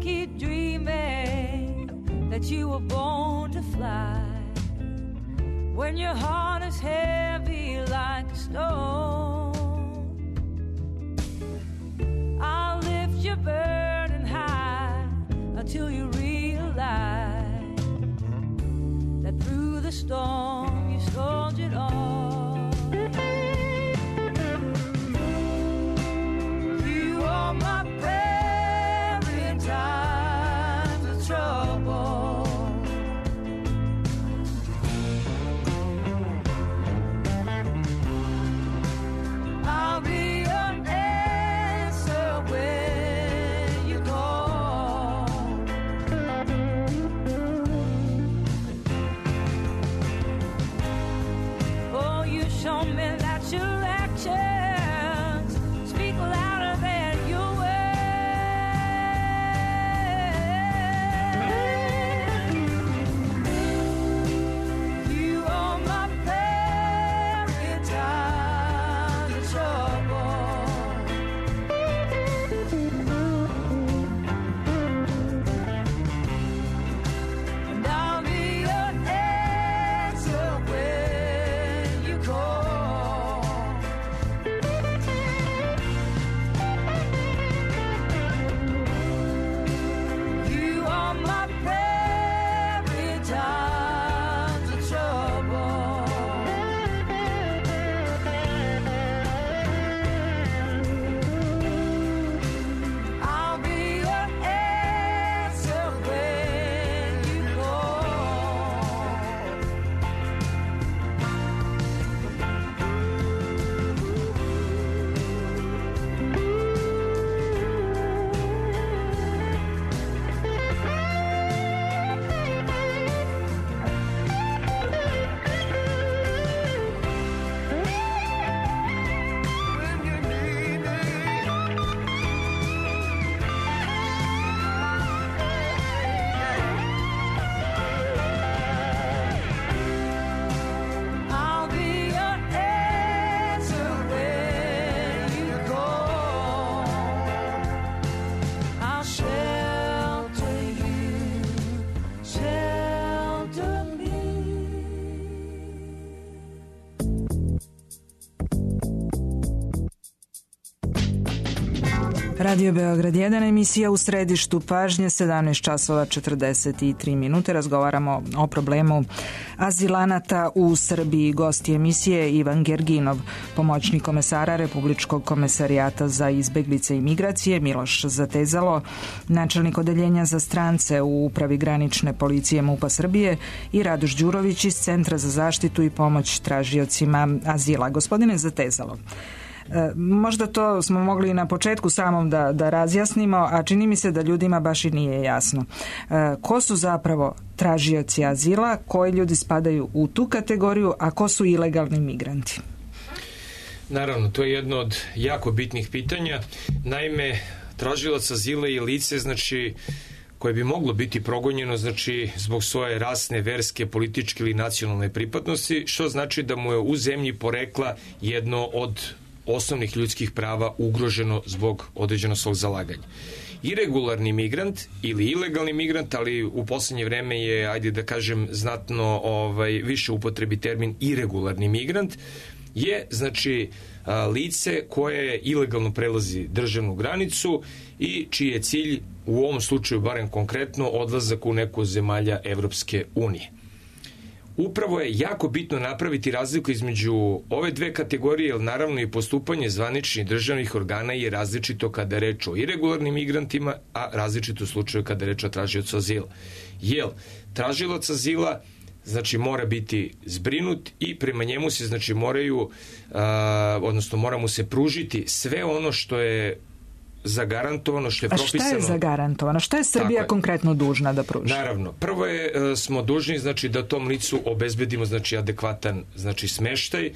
[SPEAKER 17] keep dreaming that you were born to fly. When your heart is heavy like a stone, I'll lift your burden high until you realize that through the storm you soldiered on. You are my prayer in times of trouble. I'll be your answer when you call. Oh, you show me that your actions speak louder than your words. You are my prayer in times of trouble. And I'll be your answer when you call. You are my prayer in times of trouble. I'll be your answer when you call. I'll be your answer when you call. I'll shelter you, shelter me.
[SPEAKER 3] Radio Beograd 1, emisija u središtu pažnje, 17 časova 43 minute. Razgovaramo o problemu azilanata u Srbiji. Gost emisije Ivan Gerginov, pomoćnik komesara Republičkog komesarijata za izbeglice i migracije, Miloš Zatezalo, načelnik odeljenja za strance u Upravi granične policije MUP-a Srbije i Radoš Đurović iz Centra za zaštitu i pomoć tražiocima azila. Gospodine Zatezalo, možda to smo mogli na početku samom da razjasnimo, a čini mi se da ljudima baš i nije jasno. Ko su zapravo tražioci azila, koji ljudi spadaju u tu kategoriju, a ko su ilegalni migranti?
[SPEAKER 5] Naravno, to je jedno od jako bitnih pitanja. Naime, tražilac azila je lice, znači, koje bi moglo biti progonjeno, znači, zbog svoje rasne, verske, političke ili nacionalne pripadnosti, što znači da mu je u zemlji porekla jedno od osnovnih ljudskih prava ugroženo zbog određenog svog zalaganja. Iregularni migrant ili ilegalni migrant, ali u poslednje vreme je, ajde da kažem, znatno više upotrebi termin iregularni migrant, je, znači, lice koje ilegalno prelazi državnu granicu i čiji je cilj, u ovom slučaju barem konkretno, odlazak u neku zemalja Evropske unije. Upravo je jako bitno napraviti razliku između ove dve kategorije, jer naravno i postupanje zvaničnih državnih organa je različito kada je reč o iregularnim migrantima, a različito u slučaju kada je reč o tražiocu azila. Jer tražilac azila, znači, mora biti zbrinut i prema njemu se, znači, mora mu se pružiti sve ono što je zagarantovano, što je propisano.
[SPEAKER 3] A šta je zagarantovano? Šta je Srbija konkretno dužna da pruži?
[SPEAKER 5] Naravno, prvo smo dužni, znači, da tom licu obezbedimo, znači, adekvatan, znači, smeštaj,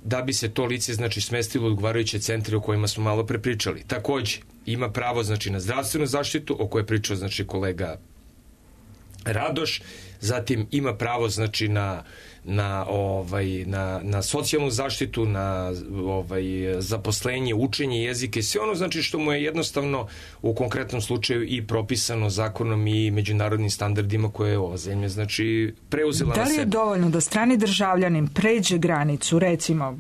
[SPEAKER 5] da bi se to lice, znači, smestilo u odgovarajuće centre o kojima smo malo prepričali. Takođe, ima pravo, znači, na zdravstvenu zaštitu, o kojoj je pričao, znači, kolega Radoš, zatim ima pravo znači na socijalnu zaštitu, na zaposlenje, učenje jezike, sve ono znači što mu je jednostavno u konkretnom slučaju i propisano zakonom i međunarodnim standardima koje je ova zemlja znači preuzela na sebe.
[SPEAKER 3] Da li je dovoljno da strani državljanin pređe granicu, recimo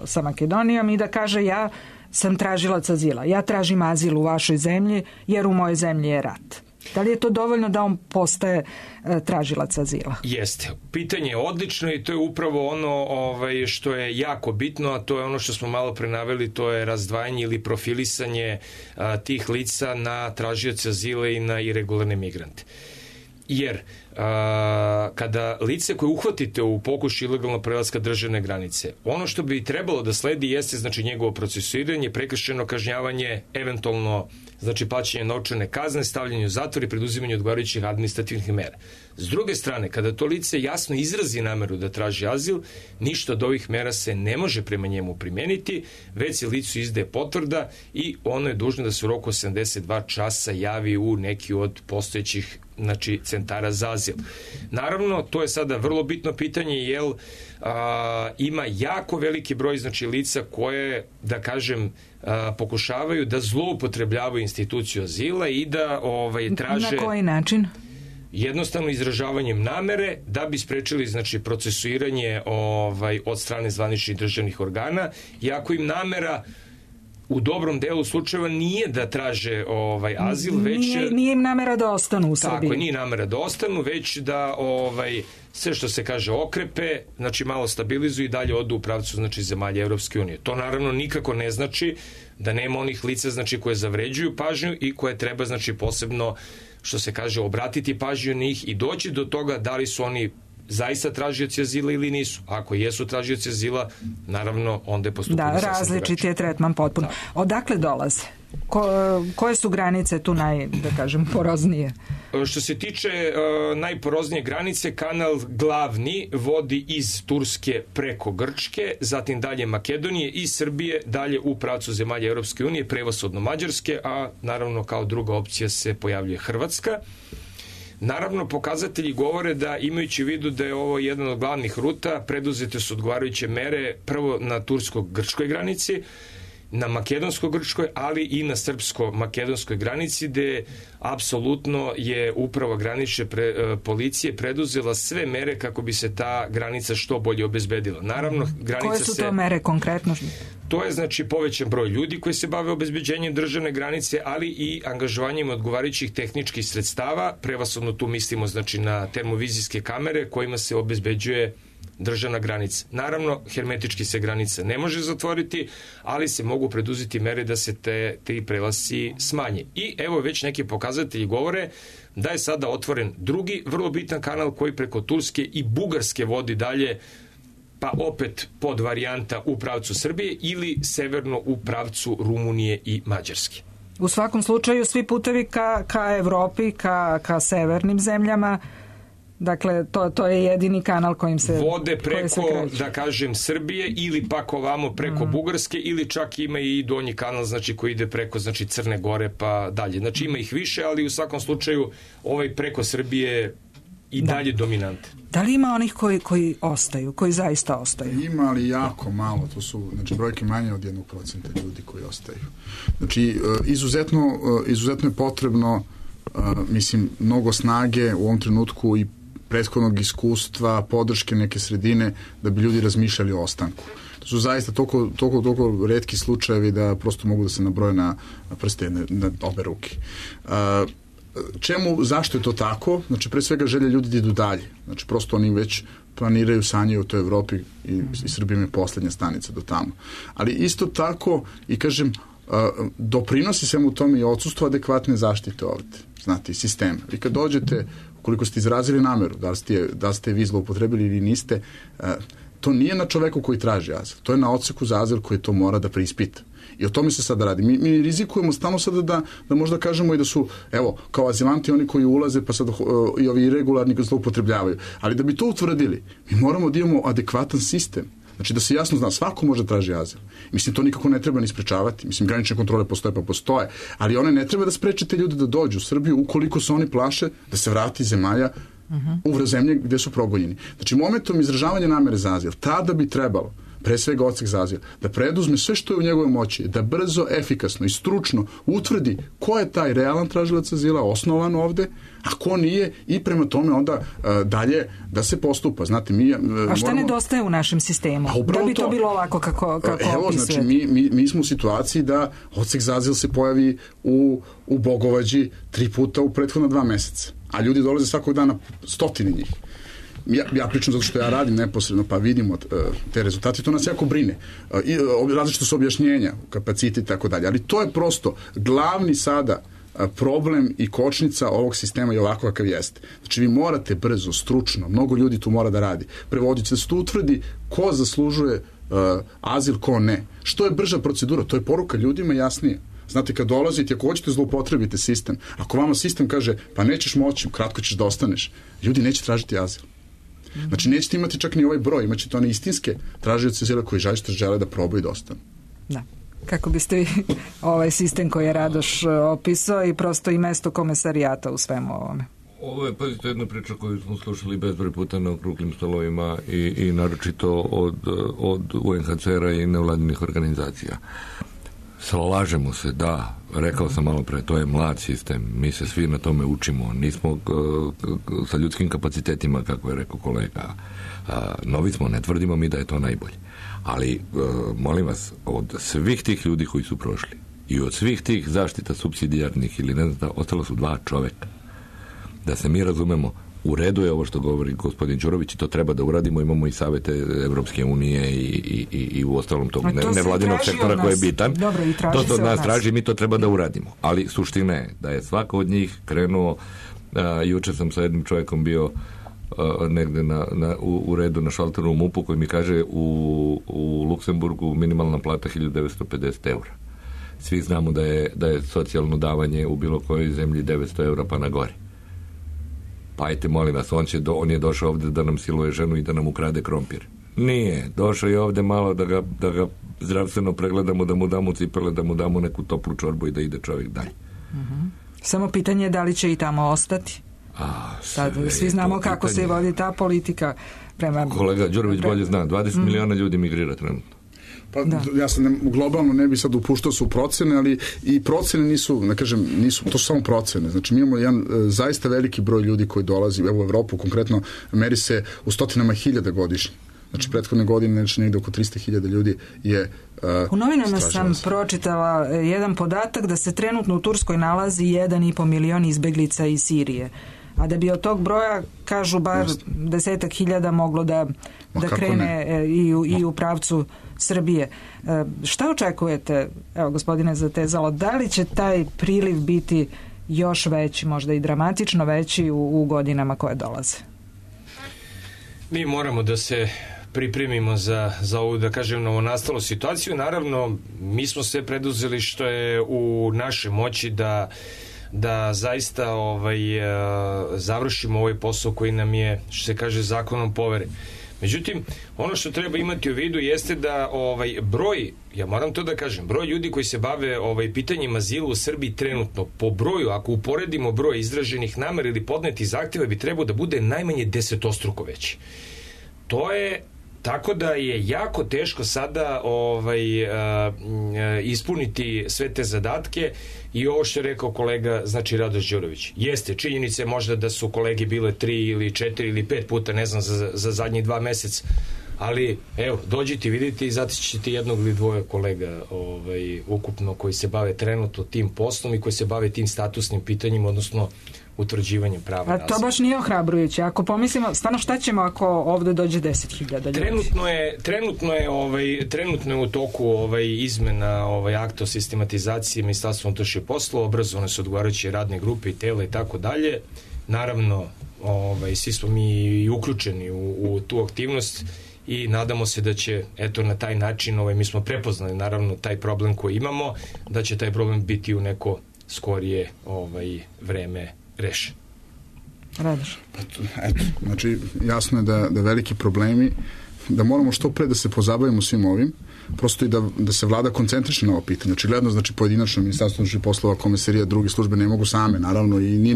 [SPEAKER 3] sa Makedonijom, i da kaže ja sam tražilac azila, ja tražim azil u vašoj zemlji jer u mojoj zemlji je rat? Da li je to dovoljno da on postaje tražilac azila?
[SPEAKER 5] Jeste. Pitanje je odlično i to je upravo ono što je jako bitno, a to je ono što smo malo pre naveli, to je razdvajanje ili profilisanje tih lica na tražioce azila i na iregularne migrante. Jer kada lice koje uhvatite u pokušaju ilegalnog prelaska državne granice, ono što bi trebalo da sledi jeste znači njegovo procesuiranje, prekršajno kažnjavanje, eventualno znači plaćanje novčane kazne, stavljanje u zatvor i preduzimanje odgovarajućih administrativnih mera. S druge strane, kada to lice jasno izrazi nameru da traži azil, ništa od ovih mera se ne može prema njemu primeniti, već se licu izdaje potvrda i ono je dužno da se u roku 72 časa javi u neki od postojećih znači centara za azil. Naravno, to je sada vrlo bitno pitanje, jer ima jako veliki broj znači lica koje, da kažem, pokušavaju da zloupotrebljavaju instituciju azila i da traže...
[SPEAKER 3] Na koji način?
[SPEAKER 5] Jednostavno izražavanjem namere da bi sprečili znači procesuiranje od strane zvaničnih državnih organa, iako im namera u dobrom delu slučajeva nije da traže azil, već...
[SPEAKER 3] Nije im namera da ostanu u Srbiji.
[SPEAKER 5] Tako, nije namera da ostanu, već da sve što se kaže okrepe, znači malo stabilizuju i dalje odu u pravcu znači zemalja Evropske unije. To naravno nikako ne znači da nema onih lica znači koje zavređuju pažnju i koje treba znači posebno, što se kaže, obratiti pažnju na njih i doći do toga da li su oni zaista tražioci azila ili nisu. Ako jesu tražioci azila, naravno onda je postupanje sasvim drugačije. Da,
[SPEAKER 3] različit je tretman potpuno. Odakle dolaze? Koje su granice tu poroznije?
[SPEAKER 5] Što se tiče najporoznije granice, kanal glavni vodi iz Turske preko Grčke, zatim dalje Makedonije i Srbije, dalje u pravcu zemalja Europske unije, prevashodno Mađarske, a naravno kao druga opcija se pojavljuje Hrvatska. Naravno, pokazatelji govore da, imajući u vidu da je ovo jedan od glavnih ruta, preduzete su odgovarajuće mere prvo na tursko-grčkoj granici, na makedonsko-grčkoj, ali i na srpsko-makedonskoj granici, gde apsolutno je uprava granične policije preduzela sve mere kako bi se ta granica što bolje obezbedila. Naravno, granica
[SPEAKER 3] koje su to mere konkretno?
[SPEAKER 5] To je znači povećan broj ljudi koji se bave obezbeđenjem državne granice, ali i angažovanjem odgovarajućih tehničkih sredstava, prevashodno tu mislimo znači na termovizijske kamere kojima se obezbeđuje državna granica. Naravno, hermetički se granica ne može zatvoriti, ali se mogu preduzeti mere da se ti prelasci smanje. I evo već neki pokazatelji govore da je sada otvoren drugi vrlo bitan kanal koji preko Turske i Bugarske vodi dalje, pa opet pod varijanta u pravcu Srbije ili severno u pravcu Rumunije i Mađarske.
[SPEAKER 3] U svakom slučaju svi putevi ka Evropi, ka severnim zemljama. Dakle, to je jedini kanal kojim se
[SPEAKER 5] vode preko, da kažem, Srbije ili pak ovamo preko Bugarske, ili čak ima i donji kanal znači koji ide preko znači Crne Gore pa dalje. Znači ima ih više, ali u svakom slučaju preko Srbije i dalje dominante.
[SPEAKER 3] Da li ima onih koji ostaju, koji zaista ostaju?
[SPEAKER 6] Ima, ali jako malo. To su brojke manje od 1% ljudi koji ostaju. Znači, izuzetno je potrebno mnogo snage u ovom trenutku i prethodnog iskustva, podrške neke sredine da bi ljudi razmišljali o ostanku. To su zaista toliko retki slučajevi da prosto mogu da se nabroje na prste na obe ruke. Zašto je to tako? Znači, pre svega želje ljudi da idu dalje. Znači, prosto oni već planiraju, sanjaju u toj Evropi i Srbija je poslednja stanica do tamo. Ali isto tako, i kažem, doprinosi svemu tome i odsustvo adekvatne zaštite ovde, znate, i sistema. I kad dođete, ukoliko ste izrazili nameru, da li ste vi zloupotrebili ili niste, to nije na čoveku koji traži azil, to je na odseku za azil koji to mora da preispita. I o tome se sada radi. Mi rizikujemo stalno sada da možda kažemo i da su, evo, kao azilanti oni koji ulaze, pa sad i ovi irregularni zloupotrebljavaju. Ali da bi to utvrdili, mi moramo da imamo adekvatan sistem. Znači da se jasno zna, svako može traži azil. Mislim, to nikako ne treba ni sprečavati. Mislim, granične kontrole postoje pa postoje, ali one ne treba da spreče te ljude da dođu u Srbiju ukoliko se oni plaše da se vrati iz zemalja u zemlje gde su progonjeni. Znači, momentom izražavanja namere za azil, tada bi trebalo, pre svega odsek za azil, da preduzme sve što je u njegovoj moći, da brzo, efikasno i stručno utvrdi ko je taj realan tražilac azila, osnovan ovde, a ko nije, i prema tome onda dalje da se postupa. Znate,
[SPEAKER 3] a šta nedostaje u našem sistemu? Da bi to bilo ovako kako opisujete?
[SPEAKER 6] Znači, mi smo u situaciji da odsek za azil se pojavi u Bogovađi 3 puta u prethodna 2 meseca, a ljudi dolaze svakog dana, stotine njih. Ja pričam zato što ja radim neposredno, pa vidimo te rezultate, to nas jako brine. Različito su objašnjenja, kapaciti i tako dalje, ali to je prosto glavni sada problem i kočnica ovog sistema i ovako kakav jeste. Znači, vi morate brzo, stručno, mnogo ljudi tu mora da radi, prevoditi da se to utvrdi ko zaslužuje azil, ko ne. Što je brža procedura, to je poruka ljudima jasnije. Znate, kad dolazite, ako hoćete zloupotrebite sistem, ako vama sistem kaže, pa nećeš moći, kratko ćeš da ostaneš, ljudi neće tražiti azil. Znači, nećete imati čak ni ovaj broj, imaćete one istinske tražioce azila koji žele da probaju da ostanu.
[SPEAKER 3] Da. Kako biste vi ovaj sistem koji je Radoš opisao i prosto i mesto komesarijata u svemu ovome?
[SPEAKER 4] Ovo je, pazite, jedna priča koju smo slušali bezbroj puta na okruglim stolovima i naročito od UNHCR-a i nevladinih organizacija. Slažemo se, da, rekao sam malo pre, to je mlad sistem, mi se svi na tome učimo, nismo sa ljudskim kapacitetima, kako je rekao kolega, novi smo, ne tvrdimo mi da je to najbolje. Ali, molim vas, od svih tih ljudi koji su prošli i od svih tih zaštita supsidijarnih ili ne znam, ostalo su 2 čoveka. Da se mi razumemo, u redu je ovo što govori gospodin Đurović i to treba da uradimo, imamo i savete Evropske unije i u ostalom tog nevladinog sektora koji je bitan.
[SPEAKER 3] Dobro,
[SPEAKER 6] to
[SPEAKER 3] se
[SPEAKER 6] od
[SPEAKER 3] nas
[SPEAKER 6] traži, mi to treba da uradimo. Ali suština je da je svako od njih krenuo, juče sam sa jednim čovjekom bio negde u redu na šalteru u MUP-u koji mi kaže u Luksemburgu minimalna plata 1950 eura. Svi znamo da je socijalno davanje u bilo kojoj zemlji 900 eura pa na gore. Pa ajte, molim vas, on je došao ovde da nam siluje ženu i da nam ukrade krompir. Nije, došao je ovde malo da ga zdravstveno pregledamo, da mu damo cipele, da mu damo neku toplu čorbu i da ide čovjek dalje.
[SPEAKER 3] Samo pitanje je da li će i tamo ostati. Svi znamo kako se vodi ta politika prema...
[SPEAKER 4] Kolega Đurović bolje zna, 20 miliona ljudi migrira trenutno.
[SPEAKER 6] Pa ja sam globalno ne bi sad upuštao su procene, ali i procene nisu, ne kažem, to su samo procene. Znači, mi imamo jedan zaista veliki broj ljudi koji dolazi, evo u Evropu konkretno, meri se u stotinama hiljada godišnje. Znači, prethodne godine znači negde oko 300.000 ljudi je
[SPEAKER 3] u novinama sam pročitala jedan podatak da se trenutno u Turskoj nalazi 1,5 milion izbeglica iz Sirije. A da bi od tog broja, kažu, bar 10.000 moglo da krene i u pravcu Srbije. Šta očekujete, evo gospodine Zatezalo, da li će taj priliv biti još veći, možda i dramatično veći u godinama koje dolaze?
[SPEAKER 5] Mi moramo da se pripremimo za ovu, da kažem, novonastalu situaciju. Naravno, mi smo sve preduzeli što je u našoj moći da zaista završimo ovaj posao koji nam je, što se kaže, zakonom poveren. Međutim, ono što treba imati u vidu jeste da broj, ja moram to da kažem, broj ljudi koji se bave pitanjima azila u Srbiji trenutno, po broju, ako uporedimo broj izraženih namera ili podnetih zahtjeva, bi trebao da bude najmanje 10-struko veći. To je tako da je jako teško sada ispuniti sve te zadatke i ovo što je rekao kolega, znači Radoš Đurović. Jeste, činjenice možda da su kolege bile 3 ili 4 ili 5 puta, ne znam, za zadnjih 2 meseca, ali evo, dođite, vidite i zatićete jednog ili 2 kolega ukupno koji se bave trenutno tim poslom i koji se bave tim statusnim pitanjima, odnosno utvrđivanjem prava na azil.
[SPEAKER 3] A to baš nije ohrabrujuće. Ako pomislimo, stvarno šta ćemo ako ovde dođe 10.000 ljudi?
[SPEAKER 5] Trenutno je u toku izmena akta o sistematizaciji Ministarstva unutrašnjih poslova, obrazovane su odgovarajuće radne grupe i tela i tako dalje. Naravno, svi smo mi uključeni u tu aktivnost i nadamo se da će, eto, na taj način, mi smo prepoznali naravno taj problem koji imamo, da će taj problem biti u neko skorije vreme rešen.
[SPEAKER 3] Radoš.
[SPEAKER 6] Eto, znači jasno je da veliki problemi da moramo što pre da se pozabavimo svim ovim, prosto i da se vlada koncentriše na ovo pitanje. Očigledno, znači pojedinačno Ministarstvo unutrašnjih poslova, komisarija, druge službe ne mogu same, naravno, i nije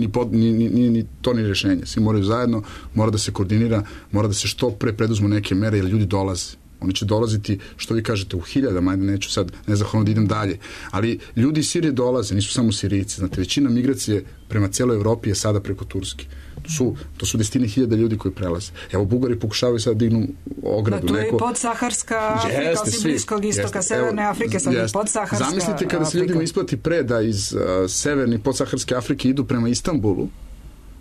[SPEAKER 6] ni to ni rešenje. Svi moraju zajedno, mora da se koordinira, mora da se što pre preduzmu neke mere, jer ljudi dolaze. Oni će dolaziti, što vi kažete, u hiljadama, ajde neću sad nezahvalno da idem dalje, ali ljudi iz Sirije dolaze, nisu samo Sirijci, znate, većina migracije prema celoj Evropi je sada preko Turske. To su desetine hiljada ljudi koji prelaze. Evo, Bugari pokušavaju sad da dignu ogradu.
[SPEAKER 3] Da, to je podsaharska Afrika, osim Bliskog istoka, Severne Afrike, sad je podsaharska.
[SPEAKER 6] Zamislite kada se ljudima isplati pre da iz severne podsaharske Afrike idu prema Istanbulu,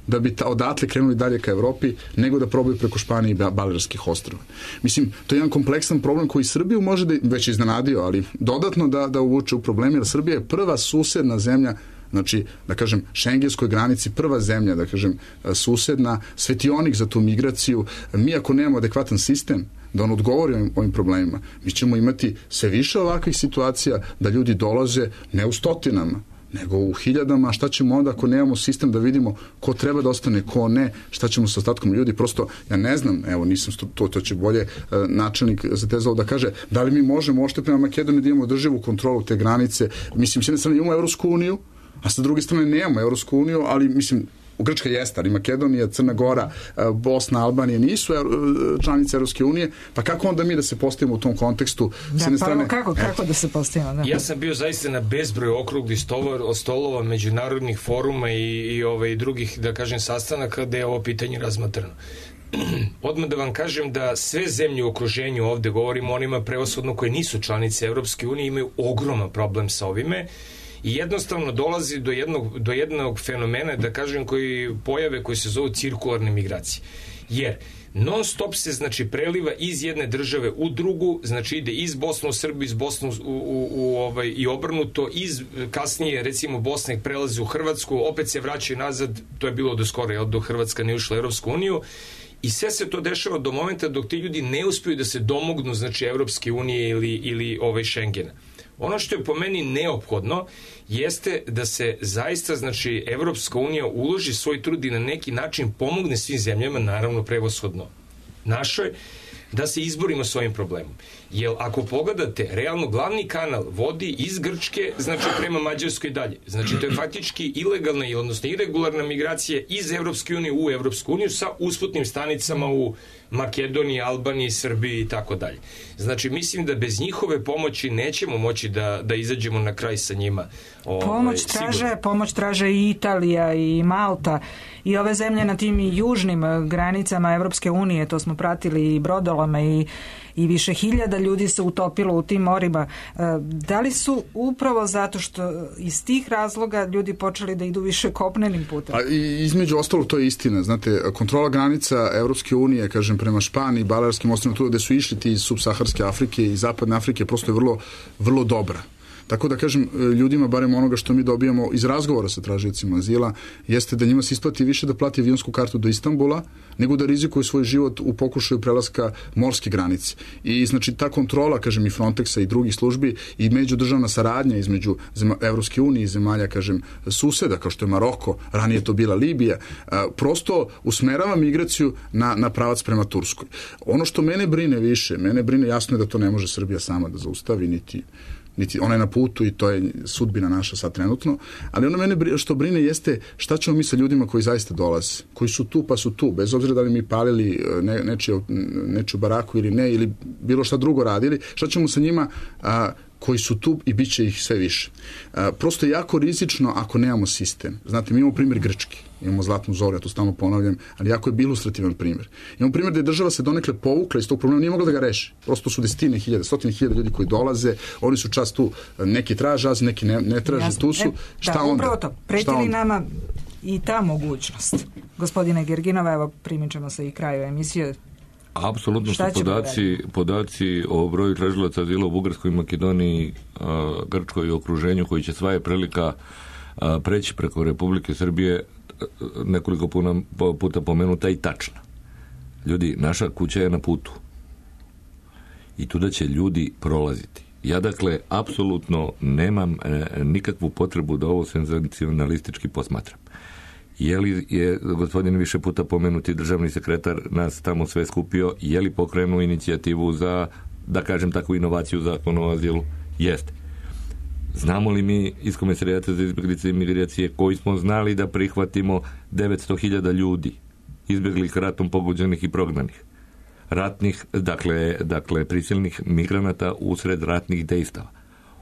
[SPEAKER 6] da bi odatle krenuli dalje ka Evropi, nego da probaju preko Španije i Balearskih ostrva. Mislim, to je jedan kompleksan problem koji Srbiju može da već iznenadio, ali dodatno da uvuče u probleme, jer Srbija je prva susedna zemlja, znači, da kažem, šengenskoj granici, prva zemlja, da kažem, susedna, svetionik za tu migraciju. Mi ako nemamo adekvatan sistem da on odgovori ovim problemima, mi ćemo imati sve više ovakvih situacija da ljudi dolaze ne u stotinama, nego u hiljadama. Šta ćemo onda ako nemamo sistem da vidimo ko treba da ostane, ko ne, šta ćemo sa ostatkom ljudi? Prosto, ja ne znam, evo, nisam to će bolje načelnik zatezao da kaže, da li mi možemo ošte prema Makedoniji da imamo održivu kontrolu te granice. Mislim, s jedne strane imamo Evropsku uniju, a sa druge strane nemamo Evropsku uniju, ali mislim, Grčka jeste, ali Makedonija, Crna Gora, Bosna, Albanija nisu članice Evropske unije, pa kako onda mi da se postavimo u tom kontekstu?
[SPEAKER 3] Kako da se postavimo? Da.
[SPEAKER 5] Ja sam bio zaista na bezbroj okruglih stolova, međunarodnih foruma i drugih, da kažem, sastanaka gde je ovo pitanje razmatrano. Odmah da vam kažem da sve zemlje u okruženju, ovde govorimo o onima prevashodno koje nisu članice Evropske unije, imaju ogroman problem sa ovime. I jednostavno dolazi do jednog fenomena, da kažem, pojave koji se zovu cirkularne migracije. Jer non stop se, znači, preliva iz jedne države u drugu, znači ide iz Bosne u Srbiju, iz Bosne i obrnuto, kasnije, recimo, Bosne prelazi u Hrvatsku, opet se vraćaju nazad, to je bilo do skoro, dok Hrvatska ne ušla u Evropsku uniju, i sve se to dešava do momenta dok ti ljudi ne uspiju da se domognu, znači, Evropske unije ili Šengena. Ono što je po meni neophodno jeste da se zaista, znači, Evropska unija uloži svoj trud i na neki način pomogne svim zemljama, naravno prevashodno našoj, da se izborimo s ovim problemom. Jer ako pogledate, realno glavni kanal vodi iz Grčke, znači prema Mađarskoj dalje. Znači to je faktički ilegalna, odnosno irregularna migracija iz Evropske unije u Evropsku uniju sa usputnim stanicama u Makedoniji, Albaniji, Srbiji i tako dalje. Znači mislim da bez njihove pomoći nećemo moći da izađemo na kraj sa njima.
[SPEAKER 3] Pomoć traže i Italija i Malta i ove zemlje na tim južnim granicama Evropske unije, to smo pratili i brodolama i više hiljada ljudi se utopilo u tim morima. Da li su upravo zato što iz tih razloga ljudi počeli da idu više kopnenim putem?
[SPEAKER 6] Između ostalo, to je istina. Znate, kontrola granica Evropske unije, kažem, prema Španiji, Balearskim ostrvima, tu gde su išli ti iz subsaharske Afrike i zapadne Afrike, prosto je vrlo, vrlo dobra. Tako da, kažem, ljudima, barem onoga što mi dobijamo iz razgovora sa tražiocima azila, jeste da njima se isplati više da plati avionsku kartu do Istanbula, nego da rizikuju svoj život u pokušaju prelaska morske granice. I, znači, ta kontrola, kažem, i Frontexa i drugih službi i međudržavna saradnja između Evropske unije i zemalja, kažem, suseda, kao što je Maroko, ranije to bila Libija, prosto usmerava migraciju na pravac prema Turskoj. Ono što mene brine, jasno je da to ne može Srbija sama da zaustavi, niti ona je na putu i to je sudbina naša sad trenutno, ali ono mene što brine jeste šta ćemo mi sa ljudima koji zaista dolaze, koji su tu pa su tu, bez obzira da li mi palili nečiju baraku ili ne, ili bilo šta drugo radili, šta ćemo sa njima koji su tu i bit će ih sve više. Prosto je jako rizično ako nemamo sistem. Znate, mi imamo primjer Grčke, imamo Zlatnu zoru, ja to stalno ponavljam, ali jako je ilustrativan primjer. Imamo primjer da je država se donekle povukla iz tog problema, nije mogla da ga reši. Prosto su desetine hiljada, stotine hiljada ljudi koji dolaze, oni su čas tu, neki traže azil, neki ne traže, tu su. Šta onda?
[SPEAKER 3] Upravo to, preti li nama i ta mogućnost? Gospodine Gerginova, evo primičemo se i kraju emisije.
[SPEAKER 4] Apsolutno su podaci o broju tražilaca azila u Bugarskoj, Makedoniji, Grčkoj i okruženju, koji će sva je prilika preći preko Republike Srbije, nekoliko puta pomenuta i tačna. Ljudi, naša kuća je na putu i tuda će ljudi prolaziti. Ja, dakle, apsolutno nemam nikakvu potrebu da ovo senzacionalistički posmatram. Je li je gospodin više puta pomenuti državni sekretar nas tamo sve skupio, je li pokrenuo inicijativu za, da kažem tako, inovaciju zakona o azilu? Jeste. Znamo li mi iz Komesarijata za izbjeglice i migracije koji smo znali da prihvatimo 900.000 ljudi izbjeglih ratom pogođenih i prognanih? Ratnih, dakle prisilnih migranata usred ratnih dejstava.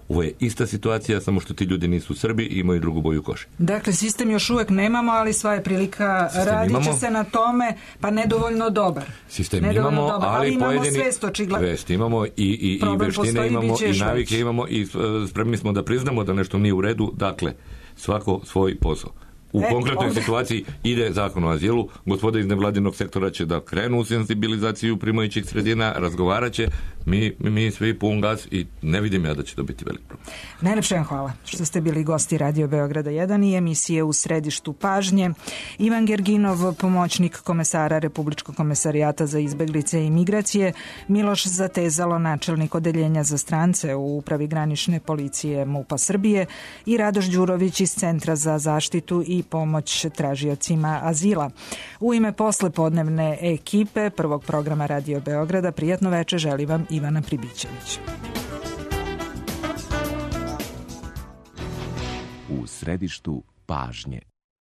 [SPEAKER 4] Ovo je ista situacija, samo što ti ljudi nisu Srbi i imaju drugu boju kože.
[SPEAKER 3] Dakle, sistem još uvek nemamo, ali sva je prilika, radit će se na tome, pa nedovoljno dobar.
[SPEAKER 4] Sistem imamo, ali
[SPEAKER 3] imamo
[SPEAKER 4] svest imamo i veštine imamo i navike imamo i spremni smo da priznamo da nešto nije u redu, dakle, svako svoj posao. U konkretnoj situaciji ide zakon o azilu, gospoda iz nevladinog sektora će da krenu u senzibilizaciju primajućih sredina, razgovarat će, mi svi pun gas i ne vidim ja da će to biti velik problem.
[SPEAKER 3] Najlepše vam hvala što ste bili gosti Radio Beograda 1 i emisije U središtu pažnje. Ivan Gerginov, pomoćnik komesara Republičkog komesarijata za izbeglice i migracije, Miloš Zatezalo, načelnik odeljenja za strance u Upravi granične policije MUP-a Srbije i Radoš Đurović iz Centra za zaštitu i pomoć tražiocima azila. U ime poslepodnevne ekipe prvog programa Radio Beograda prijatno veče želi vam Ivana Pribićević.
[SPEAKER 18] U središtu pažnje.